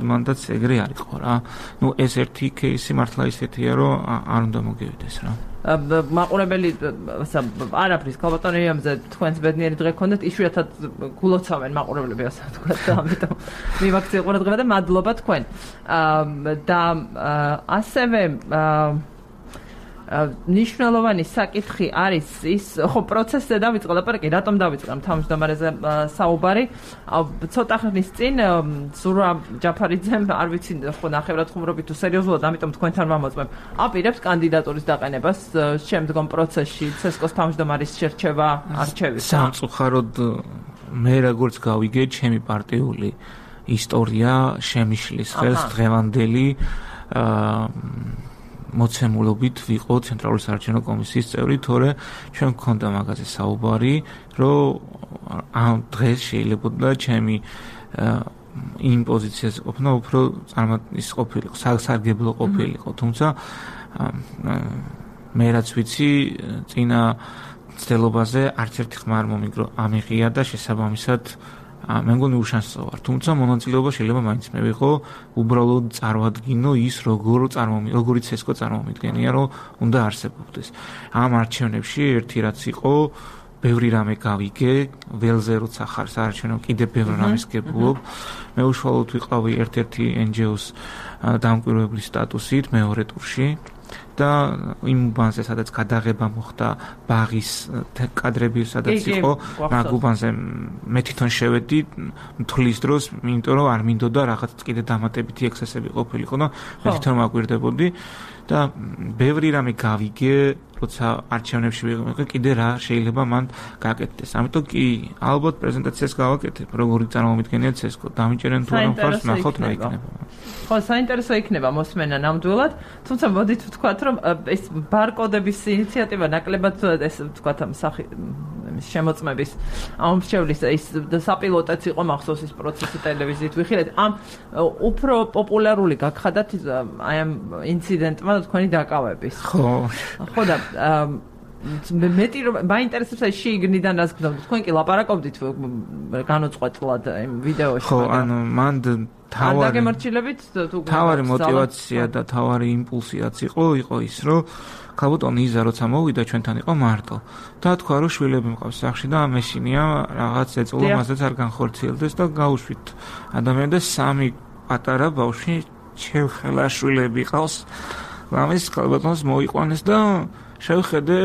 მანდაც ეგრე არ იყო რა. ნუ ეს ერთი кейსი მართლა ისეთია, რომ არ უნდა მოგივიდეს რა. მაყურებელი არაფრის ქალბატონო იამზე თქვენს ბედნიერი დღე გქონდეთ იშვიათად გულოცავენ მაყურებლები ასე ვთქვათ და ამიტომ მივაქციე ყურადღება და მადლობა თქვენ და ასევე ნიშნულოვანი საკითხი არის ის, ხო პროცესზე დავიწყე ლაპარაკი, რატომ დავიწყე თავმჯდომარეზე საუბარი. ცოტა ხნის წინ ზურა ჯაფარიძემ, არ ვიცი, ხო ნახევრად ხუმრობით თუ სერიოზულად, ამიტომ თქვენთან ვამოწმებ. აპირებს კანდიდატურის დაყენებას შემდგომ პროცესში ცესკოს თავმჯდომარის შერჩევა, არჩევის. სამწუხაროდ მე როგორც გავიგე, ჩემი პარტიული ისტორია შემიშლის ხელს დღევანდელი მოცემულობით ვიყო ცენტრალური საარჩევნო კომისიის წევრი, თორე ჩვენ გქონდა მაგაზე საუბარი, რომ ამ დღეს შეიძლება ჩემი იმ პოზიციაზე ყოფნა უფრო წარმატის ყოფილიყო, სასარგებლო ყოფილიყო, თუმცა მე რაც ვიცი, წინა ცდილობაზე არც ერთი ხმა არ მომიგრო ამიღია და შესაბამისად მე მგონი უშანსო ვარ, თუმცა მონაწილეობა შეიძლება მაინც მე ვიყო, უბრალოდ წარმოვადგინო ის როგორი ცესკო წარმომიდგენია, რომ უნდა არსებობდეს. ამ არჩევნებში ერთი რაც იყო, ბევრი რამე გავიგე, ველზე როცა ხარ საარჩევნო, კიდევ ბევრ რამეს გებულობ. მე უშუალოდ ვიყავი ერთ-ერთი NGO-ს დამკვირვებლის სტატუსით მეორე ტურში. და იმ უბანზე, სადაც გადაღება მოხდა ბაღის კადრები, სადაც იყო, მაგ უბანზე მე თვითონ შევედი მთვლის დროს, იმიტომ რომ არ მინდოდა რაღაც კიდე დამატებითი ექსესები ყოფილიყო და მე თვითონ მაგვირდებოდი და ბევრი რამე გავიგე, როცა არჩევნებში ვიყავი, კიდე რა შეიძლება მან გაკეთდეს. ამიტომ კი ალბათ პრეზენტაციას გავაკეთებ, როგორი წარმომიდგენია ცესკო, დამიჭერენ თუ არა მხარს, ნახოთ რა იქნება. ხო, საინტერესო იქნება მოსმენა ნამდვილად, თუმცა მოდით ვთქვათ, რომ ეს ბარკოდების ინიციატივა ნაკლებად ეს ვთქვათ შემოწმების ამრჩევლის ის საპილოტოც იყო მახსოვს ის პროცესი ტელევიზიით ვიხილეთ. ამ უფრო პოპულარული გაგხადათ აი ამ ინციდენტმა თქვენი დაკავების. ხო. ხო და მეტი რომ მაინტერესებს აი შიგნიდან რას გქონდა. თქვენ კი ლაპარაკობდით განუწყვეტლად იმ ვიდეოში. ხო, ანუ მან თავარი мотиваცია და თავარი იმპულსიაც იყო ის, რომ ქალბატონი იზა როცა მოვიდა ჩვენთან იყო მარტო. და თქვა რომ შვილები მყავს სახში და ამეშინია რაღაც ეწოლა მასეც არ განხორციელდეს და გაუშვით ადამიანი და სამი პატარა ბავშვი შევხელა შვილები ყავს. ამის ქალბატონს მოიყვანეს და შევხედე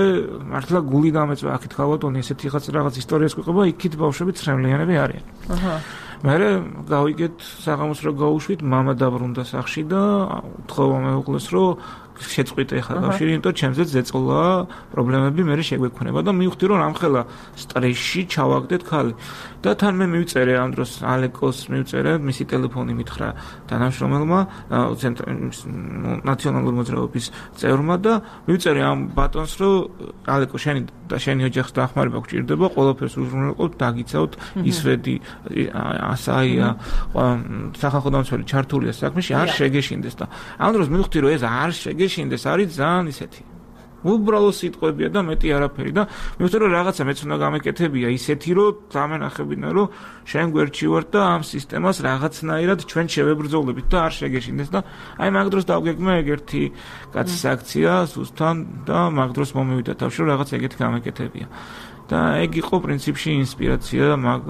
მართლა გული დამეწვა აქეთ ქალბატონი ესეთი რაღაც ისტორიას გვიყვება, იქით ბავშვები ცრემლიანები არიან. მე გავიგეთ საღამოს რომ გავუშვით, მამა დაბრუნდა სახში და უთხოვა მეუღლეს რომ შეწყვიტე ხა კავშირი, იმიტომ ჩემზეც ზეწოლა პრობლემები მე შეგვექნება და მივხვდი რომ რამხელა სტრესში ჩავაგდეთ ხალი. და თან მე მივწერე ამ დროს ალეკოს მივწერე, მისი ტელეფონი მითხრა თანამშრომელმა ნაციონალური მოძრაობის წევრმა და მივწერე ამ ბატონს რომ ალეკო შენი ოჯახს დახმარება გჭირდება, ყველაფერს უზრუნველყოფ, დაგიცავთ, ისვედი ასაია სახალხო დამცველი ჩართულია საქმეში, არ შეგეშინდეს და ამ დროს მივხვდი რომ ეს არ შეგეშინდეს არის ძალიან ისეთი უბრალოდ სიტყვებია და მეტი არაფერი და მივხვდი რომ რაღაცა მეც უნდა გამეკეთებია ისეთი რომ დამენახებინა რომ შენ გვერდში ვარ და ამ სისტემას რაღაცნაირად ჩვენ შევებრძოლებით და არ შეგეშინდეს და აი მაგ დროს დავგეგმე ეგერთი კაცის აქცია სუსთან და მაგ დროს მომივიდა თავში რომ რაღაც ეგეთი გამეკეთებია და ეგ იყო პრინციპში ინსპირაცია მაგ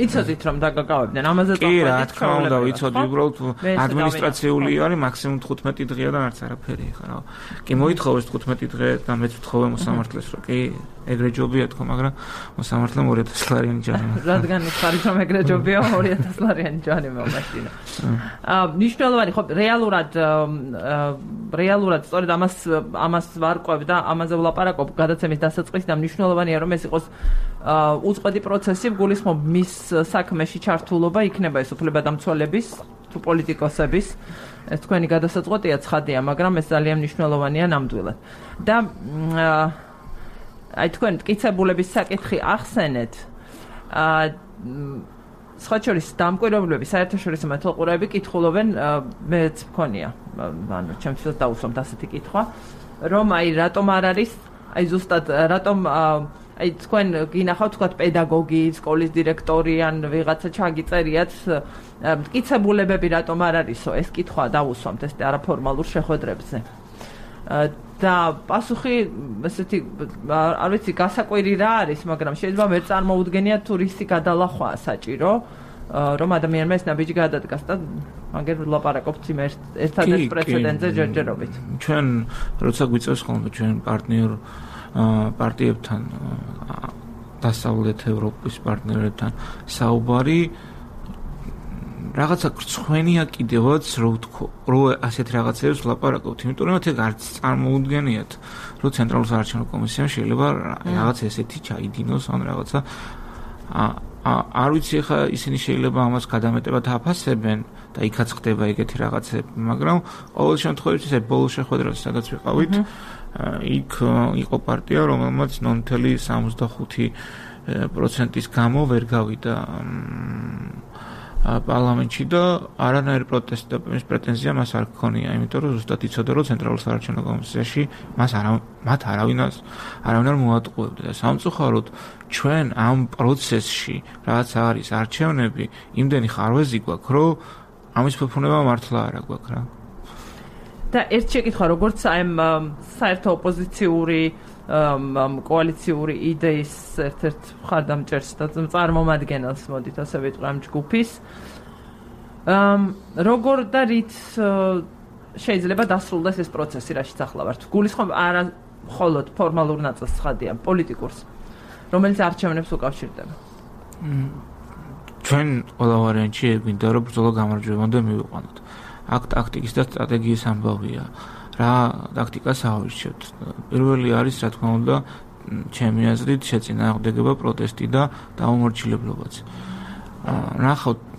იცოდით რომ დაგაკავებდნენ ამაზე წახვედით? კი, რა თქმა უნდა, ვიცოდი, უბრალოდ ადმინისტრაციული არის მაქსიმუმ 15 დღეა და არც არაფერი ხა რა. კი მოითხოვეს 15 დღე და მეც ვთხოვე მოსამართლეს რომ კი ეგრე ჯობია თქო, მაგრამ მოსამართლემ 2000 ლარიანი ჯარი. რადგან ხარით რომ ეგრე ჯობია 2000 ლარიანი ჯარი მომაშინა. ნიშნულოვანი ხო რეალურად სწორედ ამას ვარკვევ და ამაზე ვლაპარაკობ გადაცემის დასაწყისში და ნიშნულოვანია რომ ეს იყოს უწყვეტი პროცესი, გულისხმობ მის საქმეში ჩართულობა იქნება ეს უფლებადამცველების თუ პოლიტიკოსების. ეს თქვენი გადასაწყვეტია ცხადია, მაგრამ ეს ძალიან მნიშვნელოვანია ნამდვილად. და აი თქვენ მტკიცებულების საკითხი ახსენეთ. სხვა შორის დამკვირვებლები, საერთაშორისო მეთვალყურეები კითხულობენ, მეც მქონია, ანუ ჩემთვის დაუსვამთ ასეთი კითხვა, რომ აი რატომ არ არის, აი ზუსტად რატომ აი თქვენ გინახავთ თქვათ პედაგოგი, სკოლის დირექტორი ან ვიღაცა ჩაგიწერიათ მტკიცებულებები რატომ არ არისო? ეს კითხვა დაუსვამთ ეს არაფორმალურ შეხვედრებზე. და პასუხი ესეთი არ ვიცი გასაკვირი რა არის, მაგრამ შეიძლება ვერ წარმოუდგენიათ თუ რისი გადალახვაა საჭირო, რომ ადამიანმა ეს ნაბიჯი გადადგას და მაგერ ვლაპარაკობთ იმ ერთადერთ პრეცედენტზე ჯერჯერობით. ჩვენ როცა გვიწევს ხოლმე ჩვენ პარტნიორ პარტიებთან დასავლეთ ევროპის პარტნიორებთან საუბარი რაღაცა ხრცხვენია კიდევაც რო ასეთ რაღაცებს ვლაპარაკობთ, იმიტომ რომ ეგ არც წარმოუდგენიათ, რომ ცენტრალურ საარჩევნო კომისიამ შეიძლება რაღაც ესეთი ჩაიდინოს ან რაღაცა არ ვიცი ხა ისინი შეიძლება ამას გადამეტებად აფასებენ და იქაც ხდება ეგეთი რაღაცები, მაგრამ ყოველ შემთხვევაში ეს ბოლო შეხვედრას სადაც ვიყავით, იქ იყო პარტია, რომელმაც 0.65%-ის გამო ვერ გავიდა პარლამენტში და არანაირი პროტესტი და პრეტენზია მას არ ჰქონია, იმიტომ რომ ზუსტად იცოდა, რომ ცენტრალურ საარჩევნო კომისიაში მათ არავინ არ მოატყუებდა და სამწუხაროდ ჩვენ ამ პროცესში რაც არის არჩევნები, იმდენი ხარვეზი გვაქვს, რომ ამის ფუფუნება მართლა არ გვაქვს რა. და ერთ შეკითხვა, როგორც აი საერთო ოპოზიციური კოალიციური იდეის ერთ-ერთ მხარდამჭერს და წარმომადგენელს მოდით ასე ვიტყვი ამ ჯგუფის როგორ და რით შეიძლება დასრულდეს ეს პროცესი, რაშიც ახლა ვართ. გულისხმობ არა მხოლოდ ფორმალურ ნაწილს ცხადია, პოლიტიკურს, რომელიც არჩევნებს უკავშირდება. ჩვენ ყველა ვარიანტში გვინდა რომ ბრძოლა გამარჯვებამდე მივიყვანოთ. აქ ტაქტიკის და სტრატეგიის ამბავია. რა ტაქტიკას ავირჩევთ? პირველი არის, რა თქმა უნდა, ჩემი აზრით, შეწინააღმდეგება, პროტესტი და დაუმორჩილებლებაც.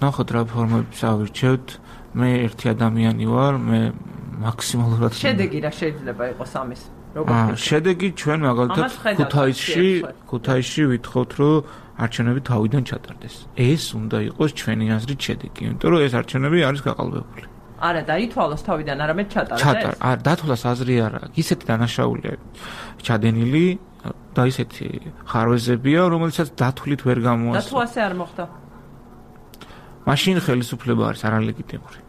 ნახოთ რა ფორმებს ავირჩევთ. მე ერთი ადამიანი ვარ, მე მაქსიმალურად შედეგი რა შეიძლება იყოს ამის? შედეგი ჩვენ მაგალითად ქუთაისში ვითხოვთ, რომ არჩევნები თავიდან ჩატარდეს. ეს უნდა იყოს ჩვენი აზრით შედეგი, იმიტომ რომ ეს არჩევნები არის გაყალბებული. არა, დაითვალოს თავიდან, არამედ ჩატარდეს. დათვალას აზრი არა. ისეთი დანაშაულია ჩადენილი და ისეთი ხარვეზებია, რომელიცაც დათვლით ვერ გამოასწორა. და თუ ასე არ მოხდა? მაშინ ხელისუფლება არის არალეგიტიმური.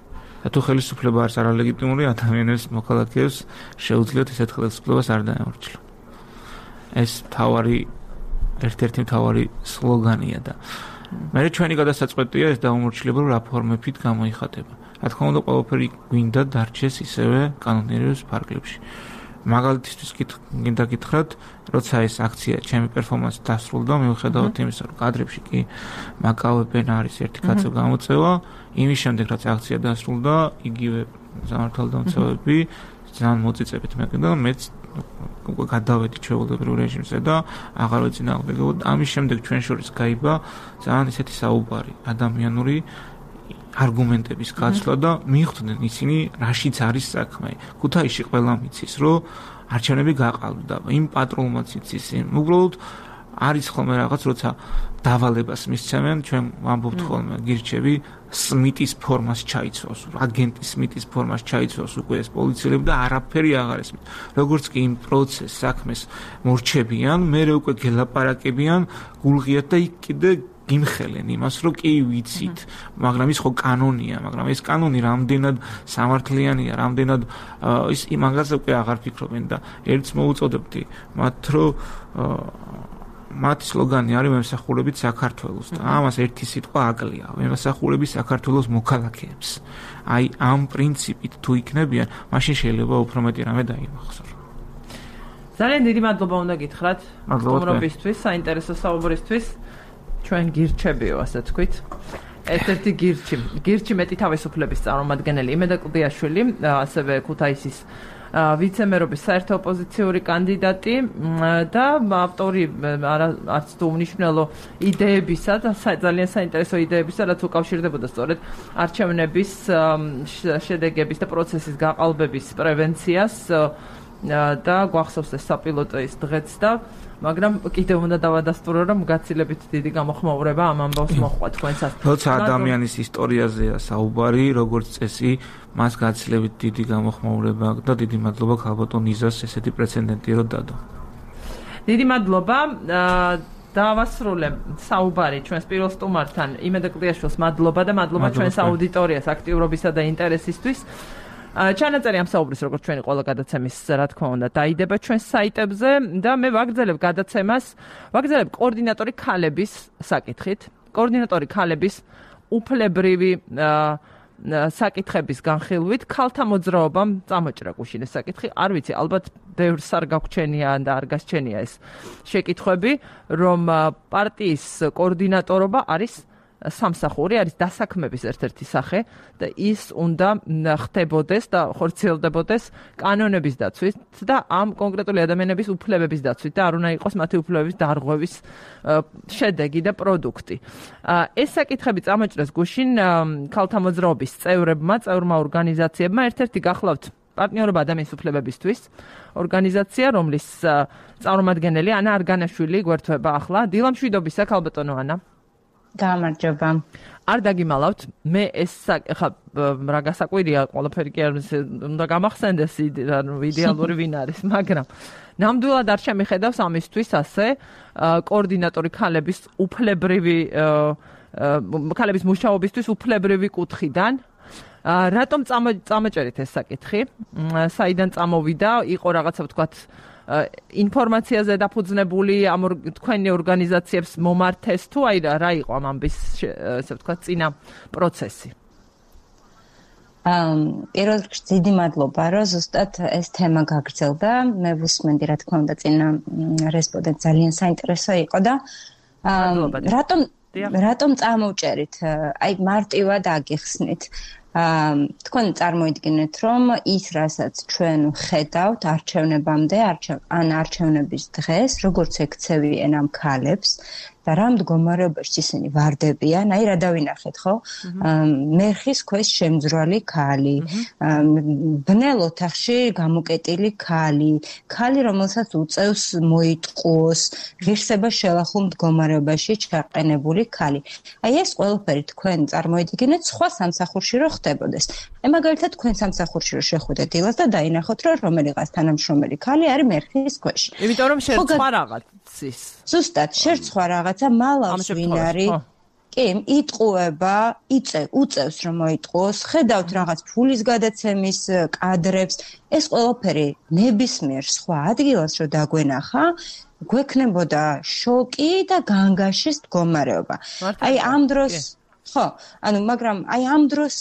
და თუ ხელისუფლება არის არალეგიტიმური, ადამიანებს, მოქალაქეებს შეუძლიათ ესეთ ხელისუფლებას არ დაემორჩილონ. ეს ერთ-ერთი მთავარი სლოგანია და მე ჩვენი გადასაწყვეტია ეს დაუმორჩილება რა ფორმებით გამოიხატება. რა თქმა უნდა, ყველაფერი გვინდა დარჩეს ისევე კანონიერების ფარგლებში. მაგალითისთვის გინდა გითხრათ, როცა ეს აქცია ჩემი პერფორმანსი დასრულდა, მიუხედავად იმისა, რომ კადრებში კი მაკავებენ არის ერთი კაცო გამოწევა, იმის შემდეგ რაც აქცია დასრულდა, იგივე სამართალდამცავები ძალიან მოწიწებით მეკიდა, მეც უკვე გადავედი ჩვეულებრივ რეჟიმზე და აღარ ვეწინააღმდეგებოდ. ამის შემდეგ ჩვენ შორის გაიბა ძალიან ისეთი საუბარი, ადამიანური არგუმენტების გაცვლა და მიხვდნენ ისინი რაშიც არის საქმე. ქუთაისში ყველა მიცის, რომ არჩევნები გაყალბდა, იმ პატრულმაც იცის, უბრალოდ არის ხოლმე რაღაც, როცა დავალებას მისცემენ, ჩვენ ვამბობთ ხოლმე, გირჩევი სმიტის ფორმას ჩაიცვავს, აგენტის სმიტის ფორმას ჩაიცვავს უკვე ეს პოლიციელები და არაფერი აღარ ესმის. როგორც კი იმ პროცესს საქმეს მორჩებიან, მერე უკვე გელაპარაკებიან, გულღიათ და იქ კიდე გიმხელენ იმას, რომ კი ვიცით, მაგრამ ის ხო კანონია, მაგრამ ეს კანონი რამდენად სამართლიანია, რამდენად ის იმაგაზე უკვე აღარ ფიქრობენ და ერთს მოუწოდებდი მათ, რომ მათი სლოგანი არის მემსახურებით საქართველოს და ამას ერთი სიტყვა აკლია, მემსახურებით საქართველოს მოქალაქეებს. აი ამ პრინციპით თუ იქნებიან, მაშინ შეიძლება უფრო მეტი რამე დაიმახსოვრონ. ძალიან დიდი მადლობა უნდა გითხრათ სტუმრობისთვის, საინტერესო საუბრისთვის. ჩვენ გირჩებიო, ასე თქვით. ერთ-ერთი გირჩი მეტი თავისუფლების წარმომადგენელი იმედა კლდიაშვილი, ასევე ქუთაისის ვიცე-მერობის საერთო ოპოზიციური კანდიდატი და ავტორი არც თუ უმნიშვნელო იდეებისა და ძალიან საინტერესო იდეებისა, რაც უკავშირდებოდა სწორედ არჩევნების შედეგების და პროცესის გაყალბების პრევენციას და გვახსოვს ეს საპილოტო ის დღეც და მაგრამ კიდევ უნდა დავადასტურო, რომ გაცილებით დიდი გამოხმაურება ამ ამბავს მოჰყვა თქვენსაც. როცა ადამიანის ისტორიაზეა საუბარი, როგორც წესი, მას გაცილებით დიდი გამოხმაურება აქვს და დიდი მადლობა ქალბატონ იზას ესეთი პრეცედენტი რო დადო. დიდი მადლობა. დავასრულებ საუბარი ჩვენს პირველ სტუმართან, იმედა კლდიაშვილს მადლობა და მადლობა ჩვენს აუდიტორიას აქტიურობისა და ინტერესისთვის. ჩანაწერი ამ საუბრის როგორც ჩვენი ყველა გადაცემის რა თქმა უნდა დაიდება ჩვენს საიტებზე და მე ვაგრძელებ გადაცემას, ვაგრძელებ კოორდინატორი ქალების საკითხით. კოორდინატორი ქალების უფლებრივი საკითხების განხილვით ქალთა მოძრაობამ წამოჭრა გუშინ ეს საკითხი. არ ვიცი, ალბათ ბევრს არ გაგვჩენია და არ გასჩენია ეს შეკითხვები, რომ პარტიის კოორდინატორობა არის სამსახური, არის დასაქმების ერთ-ერთი სახე და ის უნდა ხდებოდეს და ხორციელდებოდეს კანონების დაცვით და ამ კონკრეტული ადამიანების უფლებების დაცვით და არ უნდა იყოს მათი უფლებების დარღვევის შედეგი და პროდუქტი. ეს საკითხები წამოჭრეს გუშინ ქალთა მოძრაობის წევრმა ორგანიზაციებმა. ერთ-ერთი გახლავთ პარტნიორობა ადამიანის უფლებებისთვის ორგანიზაცია, რომლის წარმომადგენელი ანა არგანაშვილი გვერდება ახლა. დილამშვიდობისა, ქალბატონო ანა. გამარჯობა. არ დაგიმალავთ, მე ეს ხა რა გასაკვირია, ყველაფერი კი არ უნდა გამახსენდეს იდეალური ვინ არის, მაგრამ ნამდვილად არ შემიხედავს ამისთვის ასე კოორდინატორი ქალების უფლებრივი ქალების მუშაობისთვის უფლებრივი კუთხიდან. რატომ წამოჭერით ეს საკითხი? საიდან წამოვიდა? იყო რაღაცა ვთქვათ ინფორმაციაზე დაფუძნებული ამ თქვენი ორგანიზაციებს მომართეს თუ აი რა იყო ამ ამბის ესე ვთქვათ წინა პროცესი? პირველ რიგში დიდი მადლობა, რომ ზუსტად ეს თემა გაგრძელდა. მე ვუსმენდი, რა თქმა უნდა, წინა რესპონდენტ ძალიან საინტერესო იყო და რატომ წამოვჭერით? აი მარტივად აგიხსნით. თქვენ წარმოიდგინეთ, რომ ის, რასაც ჩვენ ხედავთ არჩევნებამდე, არჩევნების დღეს, როგორც ექცევიან ამ ქალებს და რა მდგომარეობაში ისინი ვარდებიან, აი რა დავინახეთ, ხო? მერხის ქვეშ შემძვრალი ქალი, ბნელ ოთახში გამოკეტილი ქალი, რომელსაც უწევს მოიტყუოს, ღირსება შელახულ მდგომარეობაში ჩაყენებული ქალი. აი ეს ყველაფერი თქვენ წარმოიდგინეთ სხვა სამსახურში რო ხდებოდეს. მაგალითად თქვენ სამსახურში რო შეხვიდეთ დილას და დაინახოთ, რომ რომელიღაც თანამშრომელი ქალი არის მერხის ქვეშ. იმიტომ რომ შერწყვა რაღაცის. ზუსტად, შერწყვა რაღაცა მალავს ვინ არის. კი, იტყუება, უწევს რომ მოიტყუოს, ხედავთ რაღაც ფულის გადაცემის კადრებს. ეს ყველაფერი ნებისმიერ სხვა ადგილას რო დაგვენახა, გვექნებოდა შოკი და განგაშის მდგომარეობა. აი ამ დროს ხო, მაგრამ აი ამ დროს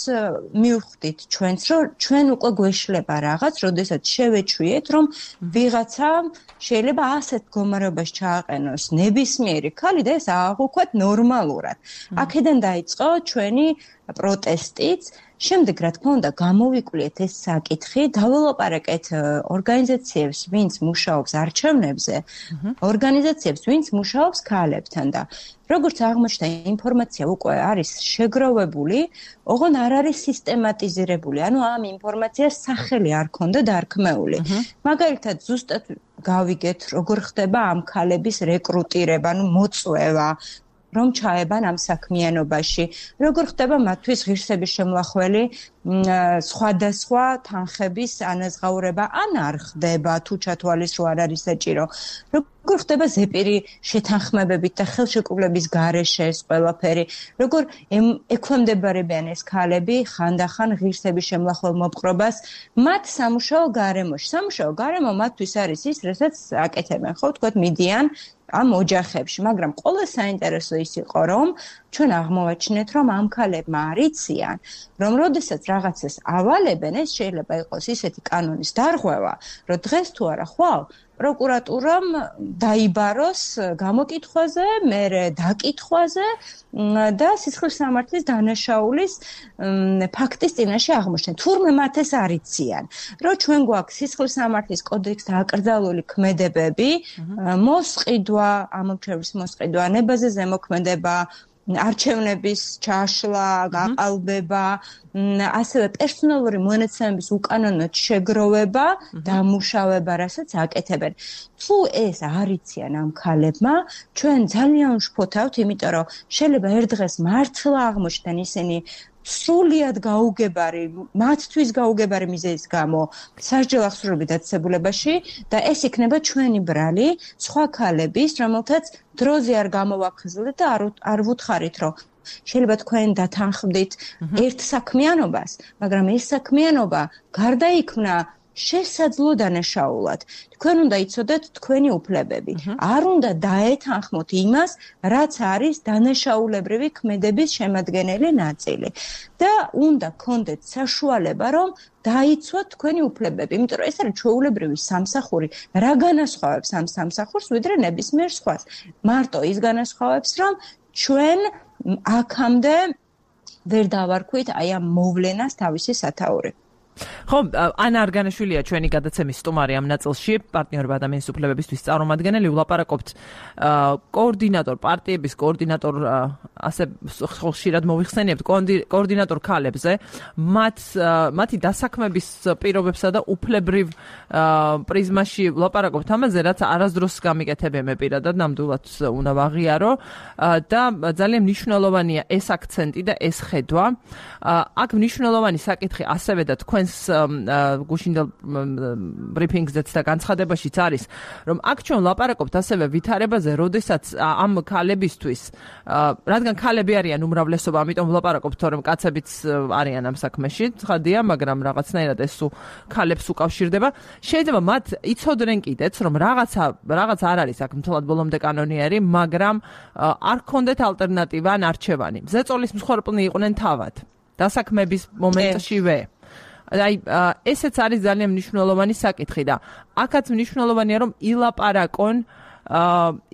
მივხვდით ჩვენც, რომ ჩვენ უკვე გვეშლება რაღაც, როდესაც შევეჩვიეთ, რომ ვიღაცა შეიძლება ასეთ მდგომარეობაში ჩააყენოს ნებისმიერი ქალი და ეს აღვქვათ ნორმალურად. აქედან დაიწყო ჩვენი პროტესტიც. შემდეგ, რა თქმა უნდა, გამოვიკვლიეთ ეს საკითხი, დაველაპარაკეთ ორგანიზაციებს, ვინც მუშაობს არჩევნებზე, ორგანიზაციებს, ვინც მუშაობს ქალებთან და როგორც აღმოჩნდა, ინფორმაცია უკვე არის შეგროვებული, ოღონდ არ არის სისტემატიზირებული. ამ ინფორმაციას სახელი არ ქონდა დარქმეული. მაგალითად, ზუსტად გავიგეთ, როგორ ხდება ამ ქალების რეკრუტირება, მოწვევა, რომ ჩაებან ამ საქმიანობაში, როგორ ხდება მათთვის ღირსების შემლახველი სხვადასხვა თანხების ანაზღაურება ან არ ხდება თუ ჩათვალის რო არ არის საჭირო, როგორ ხდება ზეპირი შეთანხმებებით და ხელშეკრულების გარეშე ეს ყველაფერი, როგორ ექვემდებარებიან ეს ქალები ხანდახან ღირსების შემლახველ მოპყრობას მათ სამუშაო გარემოში. სამუშაო გარემო მათთვის არის ის, რასაც აკეთებენ, ხო, თქვათ მიდიან ამ ოჯახებში, მაგრამ ყველა საინტერესო ის იყო, რომ ჩვენ აღმოვაჩინეთ, რომ ამ ქალებმა არიციან, რომ როდესაც რაღაცას ავალებენ, ეს შეიძლება იყოს ისეთი კანონის დარღვევა, რომ დღეს თუ არა ხვალ პროკურატურამ დაიბაროს გამოკითხვაზე, მერე დაკითხვაზე და სისხლის სამართლის დანაშაულის ფაქტის წინაშე აღმოჩნდნენ. თურმე მათ ეს არიციან, რომ ჩვენ გვაქვს სისხლის სამართლის კოდექსთან აკრძალული ქმედებები, მოსყიდვა, ამომრჩევლის მოსყიდვა, ნებაზე ზემოქმედება, არჩევნების ჩაშლა, გაყალბება, ასევე პერსონალური მონაცემების უკანონოდ შეგროვება, დამუშავება, რასაც აკეთებენ. თუ ეს არიციან ამ ქალებმა, ჩვენ ძალიან ვშფოთავთ, იმიტომ რომ შეიძლება ერთ დღეს მართლა აღმოჩნდნენ ისინი სრულიად გაუგებარი, მათთვის გაუგებარი მიზეზის გამო სასჯელ აღსრულებით დაწესებულებაში და ეს იქნება ჩვენი ბრალი სხვა ქალების, რომელთაც დროზე არ გამოვახსენეთ და არ ვუთხარით, რომ შეიძლება თქვენ დათანხმდით ერთ საქმიანობას, მაგრამ ეს საქმიანობა გარდაიქმნა შესაძლო დანაშაულად. თქვენ უნდა იცოდეთ თქვენი უფლებები. არ უნდა დაეთანხმოთ იმას, რაც არის დანაშაულებრივი ქმედების შემადგენელი ნაწილი. და უნდა გქონდეთ საშუალება, რომ დაიცვათ თქვენი უფლებები, იმიტომ რომ ეს არის ჩვეულებრივი სამსახური. რა განასხვავებს ამ სამსახურს ვიდრე ნებისმიერ სხვას? მარტო ის განასხვავებს, რომ ჩვენ აქამდე ვერ დავარქვით აი ამ მოვლენას თავისი სათაური. ხო, ანა არგანაშვილია ჩვენი გადაცემის სტუმარი ამ ნაწილში, პარტნიორობა ადამიანის უფლებებისთვის წარმომადგენელი, ვლაპარაკობთ კოორდინატორ პარტიების კოორდინატორ ასე ხშირად მოვიხსენიებთ კოორდინატორ ქალებზე, მათი დასაქმების პირობებსა და უფლებრივ პრიზმაში ვლაპარაკობთ ამაზე, რაც არასდროს გამიკეთებია მე პირადად ნამდვილად უნდა ვაღიარო და ძალიან მნიშვნელოვანია ეს აქცენტი და ეს ხედვა. აქ მნიშვნელოვანი საკითხი ასევე და თქვენს გუშინდელ ბრიფინგზეც და განცხადებაშიც არის, რომ აქ ჩვენ ვლაპარაკობთ ასევე ვითარებაზე, როდესაც ამ ქალებისთვის, რადგან ქალები არიან უმრავლესობა, ამიტომ ვლაპარაკობთ, რომ კაცებიც არიან ამ საქმეში, ცხადია, მაგრამ რაღაცნაირად ეს ქალებს უკავშირდება. შეიძლება მათ იცოდნენ კიდეც, რომ რაღაც არ არის აქ მთლად ბოლომდე კანონიერი, მაგრამ არ ქონდეთ ალტერნატივა ან არჩევანი. ზეწოლის მსხვერპლნი იყვნენ თავად. დასაქმების მომენტშივე. აი ესეც არის ძალიან მნიშვნელოვანი საკითხი და აქაც მნიშვნელოვანია რომ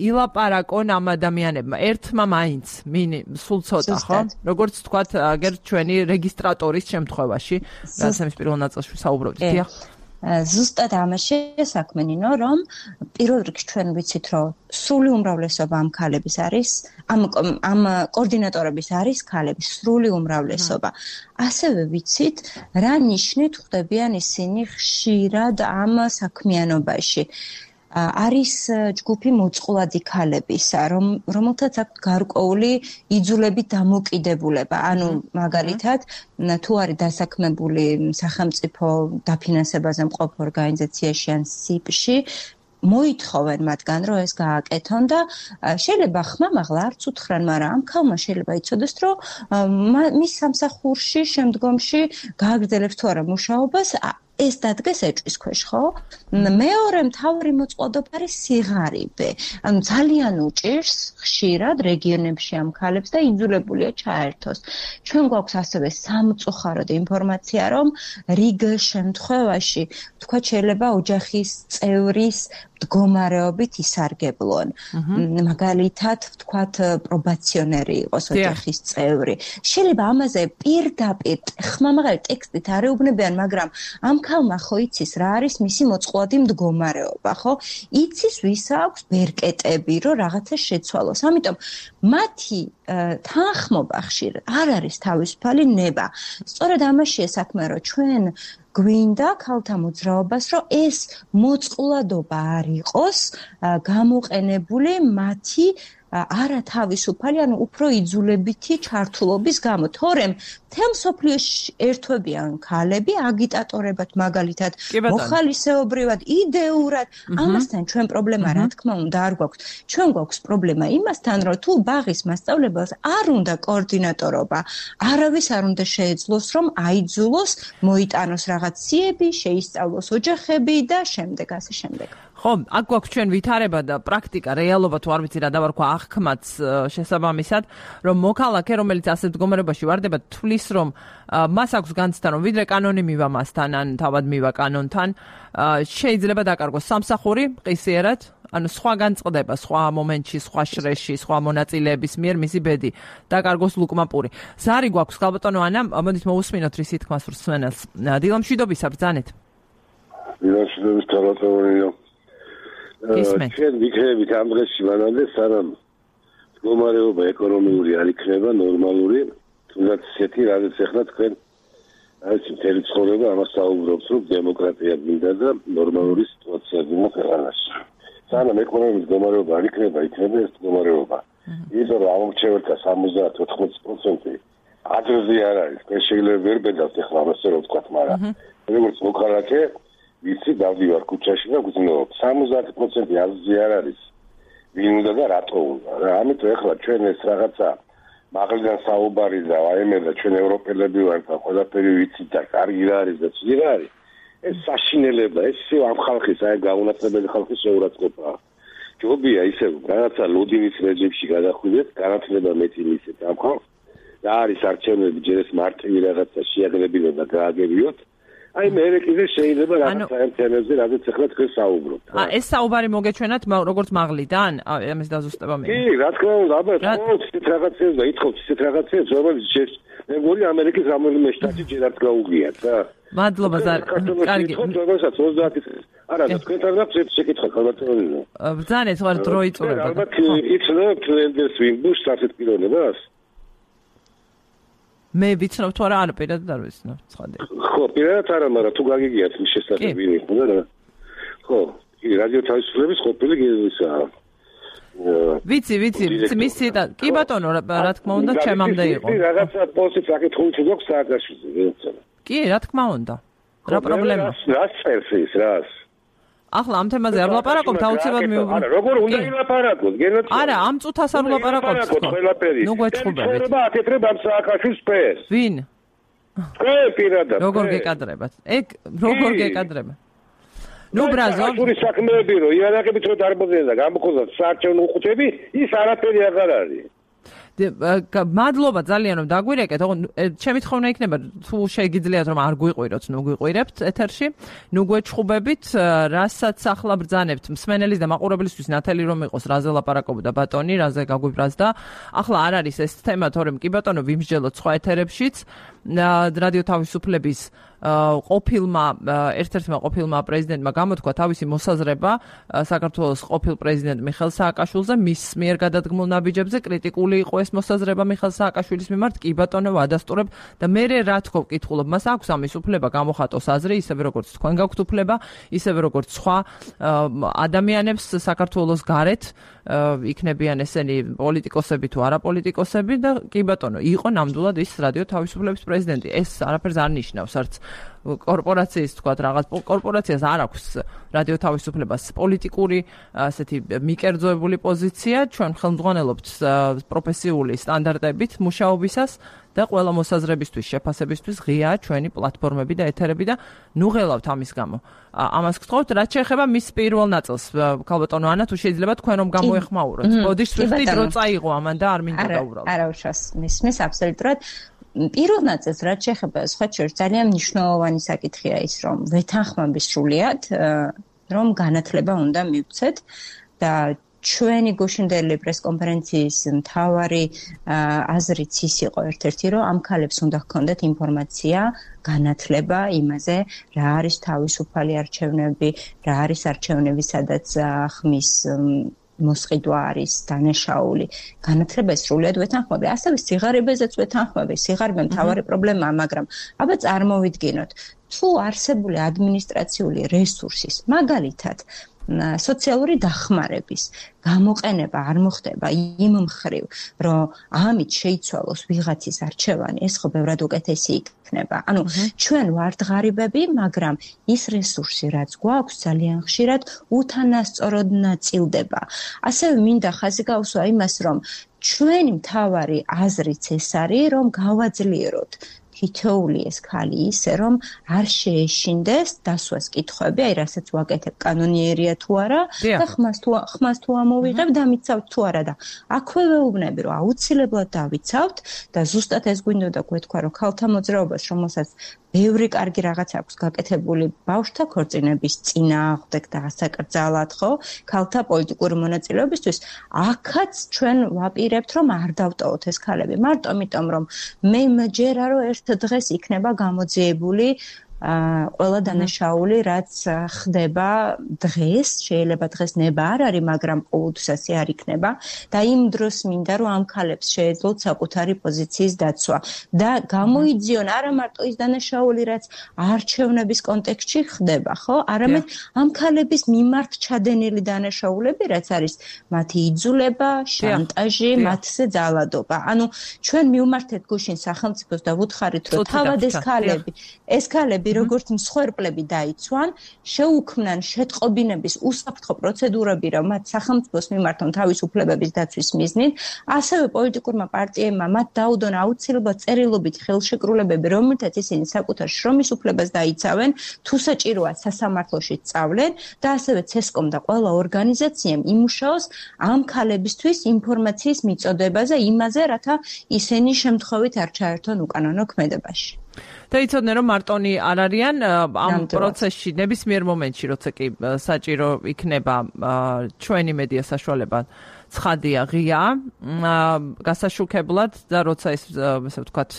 ილაპარაკონ ამ ადამიანებმა ერთმა მაინც სულ ცოტა ხო როგორც თქვათ აგერ ჩვენი რეგისტრატორის შემთხვევაში რასამის პირველ ნაწილში საუბრობთ დიახ ზუსტად ამაში საქმენინო რომ პირველ რიგში ჩვენ ვიცით რომ სრული უმრავლესობა ამ ქალების არის ამ კოორდინატორების არის ქალების სრული უმრავლესობა ასევე ვიცით რა ნიშნით ხვდებიან ისინი ხშირად ამ საქმიანობაში არის ჯგუფი მოწყვლადი ქალებისა, რომელთაც აქვს გარკვეული იძულებით დამოკიდებულება. ანუ მაგალითად, თუ არის დასაქმებული სახელმწიფო დაფინანსებაზე მყოფ ორგანიზაციაში ან სიპში, მოითხოვენ მათგან, რომ ეს გააკეთონ და შეიძლება ხმამაღლა არც უთხრან, მაგრამ ამ ქალმა შეიძლება იცოდეს, რომ მის სამსახურში შემდგომში გააგრძელებს თუ არა მუშაობას, ეს დადგეს ეჭვის ქვეშ, ხო? მეორე მთავარი მოწყვლადობა არის სიღარიბე. ანუ ძალიან უჭირს ხშირად რეგიონებში ამ ქალებს და იძულებულია ჩაერთოს. ჩვენ გვაქვს ასევე სამწუხაროდ ინფორმაცია, რომ რიგ შემთხვევაში, თქვა შეიძლება ოჯახის წევრის მდგომარეობით ისარგებლონ. მაგალითად, ვთქვათ, პრობაციონერი იყოს ოჯახის წევრი. შეიძლება ამაზე პირდაპირ ხმამაღალი ტექსტით არ ეუბნებიან, მაგრამ ამ ქალმა ხო იცის რა არის მისი მოწყვლადი მდგომარეობა, ხო? იცის ვის აქვს ბერკეტები, რომ რაღაცა შეცვალოს. ამიტომ მათი თანხმობა ხშირად არ არის თავისუფალი ნება. სწორედ ამაშია საქმე, რომ ჩვენ გვინდა ქალთა მოძრაობას, რომ ეს მოწყვლადობა არ იყოს გამოყენებული მათი არა თავისუფალი, ანუ უფრო იძულებითი ჩართულობის გამო. თორემ მთელ მსოფლიოში ერთვებიან ქალები აგიტატორებად, მაგალითად, მოხალისეობრივად, იდეურად. ამასთან ჩვენ პრობლემა რა თქმა უნდა არ გვაქვს. ჩვენ გვაქვს პრობლემა იმასთან, რომ თუ ბაღის მასწავლებელს არ უნდა კოორდინატორობა, არავის არ უნდა შეეძლოს, რომ აიძულოს, მოიტანოს რაღაც სიები, შეისწავლოს ოჯახები და შემდეგ ასე შემდეგ. ხო, აქ გვაქვს ჩვენ ვითარება და პრაქტიკა, რეალობა თუ არ ვიცი რა დავარქვა აღქმაც შესაბამისად, რომ მოქალაქე, რომელიც ასე მდგომარეობაში ვარდება, თვლის, რომ მას აქვს განცდა, რომ ვიდრე კანონი მივა მასთან, ან თავად მივა კანონთან, შეიძლება დაკარგოს სამსახური ყისიერად, ანუ სხვა განწყდება, სხვა მომენტში, სხვა შრეში, სხვა მონაწილეების მიერ მისი ბედი დაკარგოს ლუკმაპური. ზარი გვაქვს, ხალბატონო ანა, მოდით მოусმინოთ რის თქმას მსმენელს. დილამშვიდობისა ბრძანეთ. დილამშვიდობის თავმოყრილია. ჩვენ ვიქნებით ამ დღეში მანამდე სანამ მდგომარეობა ეკონომიური არ იქნება ნორმალური, თუნდაც ისეთი, რადგან ახლა თქვენ არის მთელი ცხოვრება ამას საუბრობს, რომ დემოკრატია გინდა და ნორმალური სიტუაცია გინდა ქვეყანაში. სანამ ეკონომიკის მდგომარეობა არ იქნება ეს მდგომარეობა. იმიტომ რომ ამორჩეველთა 70-80% აზრზე არ არის. ეს შეიძლება ვერ ბედავთ ახლა ამას რომ ვთქვათ, მაგრამ როგორც მოქალაქე ვიცი დავდივარ ქუჩაში და გძნობ 70% აზრზე არ არის ვინ უნდა და რატო უნდა რა ამიტომ ახლა ჩვენ ეს რაღაცა მაღლიდან საუბარი და აიმედა ჩვენ ევროპელები ვართ და ყველაფერი ვიცით და კარგი რა არის და ცუდი რა არის ეს საშინელება, ეს ამ ხალხის, აი გაუნაცებელი ხალხის შეურაცხყოფაა. ჯობია ისე რაღაცა ლოდინის რეჟიმში გადახვიდეთ, განათლება მეტი მისცეთ ამ ხალხს. და არის არჩევნები ჯერ ეს მარტივი რაღაცა შეაგებინოთ და გააგებიოთ. აი მე კიდე შეიძლება რაღაცა ამ თემებზე რადგან ახლა თქვენ საუბრობთ. ეს საუბარი მოგეჩვენათ როგორც მაღლიდან? ამის დაზუსტება მე. კი, რა თქმა უნდა, აბა ცით რაღაცებს და ითხოვთ ცით რაღაცებს, რომელიც მე მგონი ამერიკის რომელიმე შტატში ჯერ არც გაუგიათ რა. მადლობა ზარ. კარგი. როდესაც 30 წელს არა, თქვენთან აქვს შეკითხვა ხალხატონიო. ბრძანეთ ვარ დრო იწურება. ალბათ იცნობთ ლენდერს ვინბუშს ასეთ პიროვნებას? მე ვიცნობ თუ არა, არა პირადად არ ვიცნობ, ცხადია. ხო, პირადად არა, მაგრამ თუ გაგიგიათ მის შესახებ ვინი ხოდა რა. ხო, კი, რადიო თავისუფლების ყოფილი გეზისაა. ვიცი, მისი და კი ბატონო, რა თქმა უნდა, ჩემამდე იყო. რაღაცა პოსტი საკითხული თუ გვაქვს სააკაშვილზე. კი, რა თქმა უნდა. რა პრობლემაა? რას წერს ის, რას? ახლა ამ თემაზე არ ვლაპარაკობთ, აუცილებლად მიუღრა. არა, როგორ უნდა ილაპარაკოთ? გენოციდ. არა, ამ წუთას არ ვლაპარაკობთ. ნუ გვეჭხუბებით. შეიძლება აკეთებ ამ სააკაშვილს სპეს. ვინ? თქვენ პირადად. როგორ გეკადრებათ? როგორ გეკადრებათ? ნუ ბრაზო. სააკაშვილის საქმეები რო იარაღებით რო დარბაზენ და გამოგხოზათ საარჩევნო უხუცები, ის არაფერი აღარ არის. მადლობა ძალიან რომ დაგვირეკეთ. ჩემი თხოვნა იქნება თუ შეგიძლიათ რომ არ გვიყვიროთ, ნუ გვიყვირებთ ეთერში, ნუ გვეჭხუბებით, რასაც ახლა ბრძანებთ მსმენელის და მაყურებლისთვის ნათელი რომ იყოს, რაზე ლაპარაკობდა ბატონი, რაზე გაგვიბრაზდა. ახლა არ არის ეს თემა, თორემ კი ბატონო ვიმსჯელოთ სხვა ეთერებშიც. რადიო თავისუფლების ერთ-ერთმა ყოფილმა პრეზიდენტმა გამოთქვა თავისი მოსაზრება საქართველოს ყოფილ პრეზიდენტ მიხეილ სააკაშვილზე, მის მიერ გადადგმულ ნაბიჯებზე. კრიტიკული იყო ეს მოსაზრება მიხეილ სააკაშვილის მიმართ. კი ბატონო, ვადასტურებ და მე რა თქო ვკითხულობ, მას აქვს ამის უფლება გამოხატოს აზრი, ისევე როგორც თქვენ გაქვთ უფლება, ისევე როგორც სხვა ადამიანებს საქართველოს გარეთ, იქნებიან ესენი პოლიტიკოსები თუ არაპოლიტიკოსები და კი ბატონო, იყო ნამდვილად ის რადიო თავისუფლების პრეზიდენტი. ეს არაფერს არ ნიშნავს, არც კორპორაციის თქვათ რაღაც კორპორაციას არ აქვს რადიო თავისუფლებას პოლიტიკური ასეთი მიკერძოებული პოზიცია. ჩვენ ხელმძღვანელობთ პროფესიული სტანდარტებით მუშაობისას და ყველა მოსაზრებისთვის, შეფასებისთვის ღიაა ჩვენი პლატფორმები და ეთერები და ნუ ღელავთ ამის გამო. ამას გთხოვთ, რაც შეეხება მის პირველ ნაწილს, ქალბატონო ანა, თუ შეიძლება თქვენ რომ გამოეხმაუროთ. ბოდიშ სვიფტი დრო წაიღო ამან და არ მინდა დაუბრალდეთ. არა, უშავს მისმის აბსოლუტურად. პირველ ნაწილს რაც შეეხება სხვა შორის ძალიან მნიშვნელოვანი საკითხია ის, რომ ვეთანხმები სრულიად, რომ განათლება უნდა მივცეთ და ჩვენი გუშინდელი პრესკონფერენციის მთავარი აზრიც ის იყო ერთ-ერთი, რომ ამ ქალებს უნდა ჰქონდეთ ინფორმაცია, განათლება იმაზე, რა არის თავისუფალი არჩევნები, რა არის არჩევნები, სადაც ხმის მოსყიდვა არის დანაშაული. განათლება სრულიად ვეთანხმები. ასევე სიღარიბეზეც ვეთანხმები. სიღარიბე მთავარი პრობლემაა, მაგრამ აბა წარმოვიდგინოთ, თუ არსებული ადმინისტრაციული რესურსის, მაგალითად, სოციალური დახმარების გამოყენება არ მოხდება იმ მხრივ, რომ ამით შეიცვალოს ვიღაცის არჩევანი, ეს ხო ბევრად უკეთესი იქნება. ანუ ჩვენ ვართ ღარიბები, მაგრამ ის რესურსი, რაც გვაქვს, ძალიან ხშირად უთანასწოროდ ნაწილდება. ასევე მინდა ხაზი გავუსვა იმას, რომ ჩვენი მთავარი აზრიც ეს არის, რომ გავაძლიეროთ თითოეული ეს ქალი ისე, რომ არ შეეშინდეს დასვას კითხვები, აი რასაც ვაკეთებ კანონიერია თუ არა და ხმას თუ ამოვიღებ და მიცავთ თუ არა და აქვე ვეუბნები, რომ აუცილებლად დავიცავთ და ზუსტად ეს გვინდოდა გვეთქვა, რომ ქალთა მოძრაობას, რომელსაც ბევრი კარგი რაღაც აქვს გაკეთებული ბავშვთა ქორწინების წინააღმდეგ და ასაკრძალად, ხო, ქალთა პოლიტიკური მონაწილეობისთვის, აქაც ჩვენ ვაპირებთ, რომ არ დავტოვოთ ეს ქალები. მარტო ამიტომ, რომ მე მჯერა, რომ ერთ დღეს იქნება გამოძიებული ყველა დანაშაული, რაც ხდება დღეს, შეიძლება დღეს ნება არ არის, მაგრამ ყოველთვის არ იქნება და იმ დროს მინდა, რომ ამ ქალებს შეეძლოთ საკუთარი პოზიციის დაცვა და გამოიძიონ არა მარტო ის დანაშაული, რაც არჩევნების კონტექსტში ხდება, ხო? არამედ ამ ქალების მიმართ ჩადენილი დანაშაულები, რაც არის მათი იძულება, შანტაჟი, მათზე ძალადობა. ანუ ჩვენ მივმართეთ გუშინ სახელმწიფოს და ვუთხარით, რომ თავად ეს ქალები მკვლელები, როგორც მსხვერპლები დაიცვან, შეუქმნან შეტყობინების უსაფრთხო პროცედურები, რომ მათ სახელმწიფოს მიმართონ თავისუფლებების დაცვის მიზნით, ასევე პოლიტიკურმა პარტიებმა მათ დაუდონ აუცილებლად წერილობით ხელშეკრულებები, რომელთაც ისინი საკუთარ შრომის უფლებას დაიცავენ, თუ საჭიროა სასამართლოში სწავლენ და ასევე CESCOM და ყველა ორგანიზაციამ იმუშაოს ამ ქალებისთვის ინფორმაციის მიწოდებაზე, იმაზე, რათა ისინი შემთხვევით არ ჩაერთონ უკანონო ქმედებაში. და იცოდნენ რომ მარტონი არ არიან ამ პროცესში ნებისმიერ მომენტში, როცა კი საჭირო იქნება ჩვენი მედია საშუალება ცხადია, ღია, გასაშუქებლად და როცა ეს ესე ვთქვათ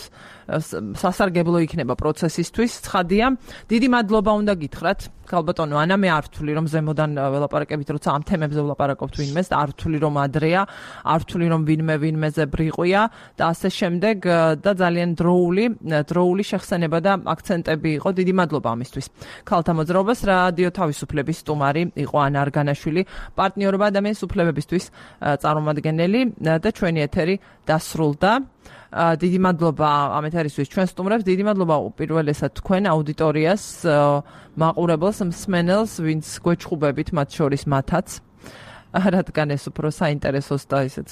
სასარგებლო იქნება პროცესისთვის, ცხადია. დიდი მადლობა უნდა გითხრათ, ქალბატონო ანა, მე არ ვთვლი რომ ზემოდან ველაპარაკებით, როცა ამ თემებზე ველაპარაკობთ ვინმეს, და არ ვთვლი რომ ადრეა, არ ვთვლი რომ ვინმეზე ბრიყვია და ასე შემდეგ და ძალიან დროული შეხსენება და აქცენტები იყო. დიდი მადლობა ამისთვის. ქალთა მოძრაობას რადიო თავისუფლების სტუმარი იყო ანა არგანაშვილი, პარტნიორობა ადამიანის უფლებებისთვის წარმომადგენელი და ჩვენი ეთერი დასრულდა. დიდი მადლობა ამ ეთერისთვის ჩვენ სტუმრებს, დიდი მადლობა უპირველესად თქვენ აუდიტორიას, მაყურებელს, მსმენელს, ვინც გვეჩხუბებით, მათ შორის მათაც. რადგან ეს უფრო საინტერესოს და ისეთ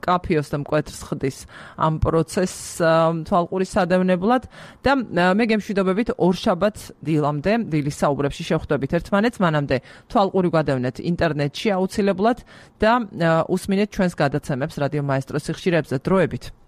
კაფეოს და მკვეთრს ხდის ამ პროცესს თვალყურის სადევნებლად და მე გემშვიდობებით ორშაბათ დილამდე დილის საუბრებში შევხვდებით ერთმანეთს, მანამდე თვალყური გადავნეთ ინტერნეტში აუცილებლად და უსმინეთ ჩვენს გადაცემებს რადიო მაესტროს სიხშირეებზე. დროებით.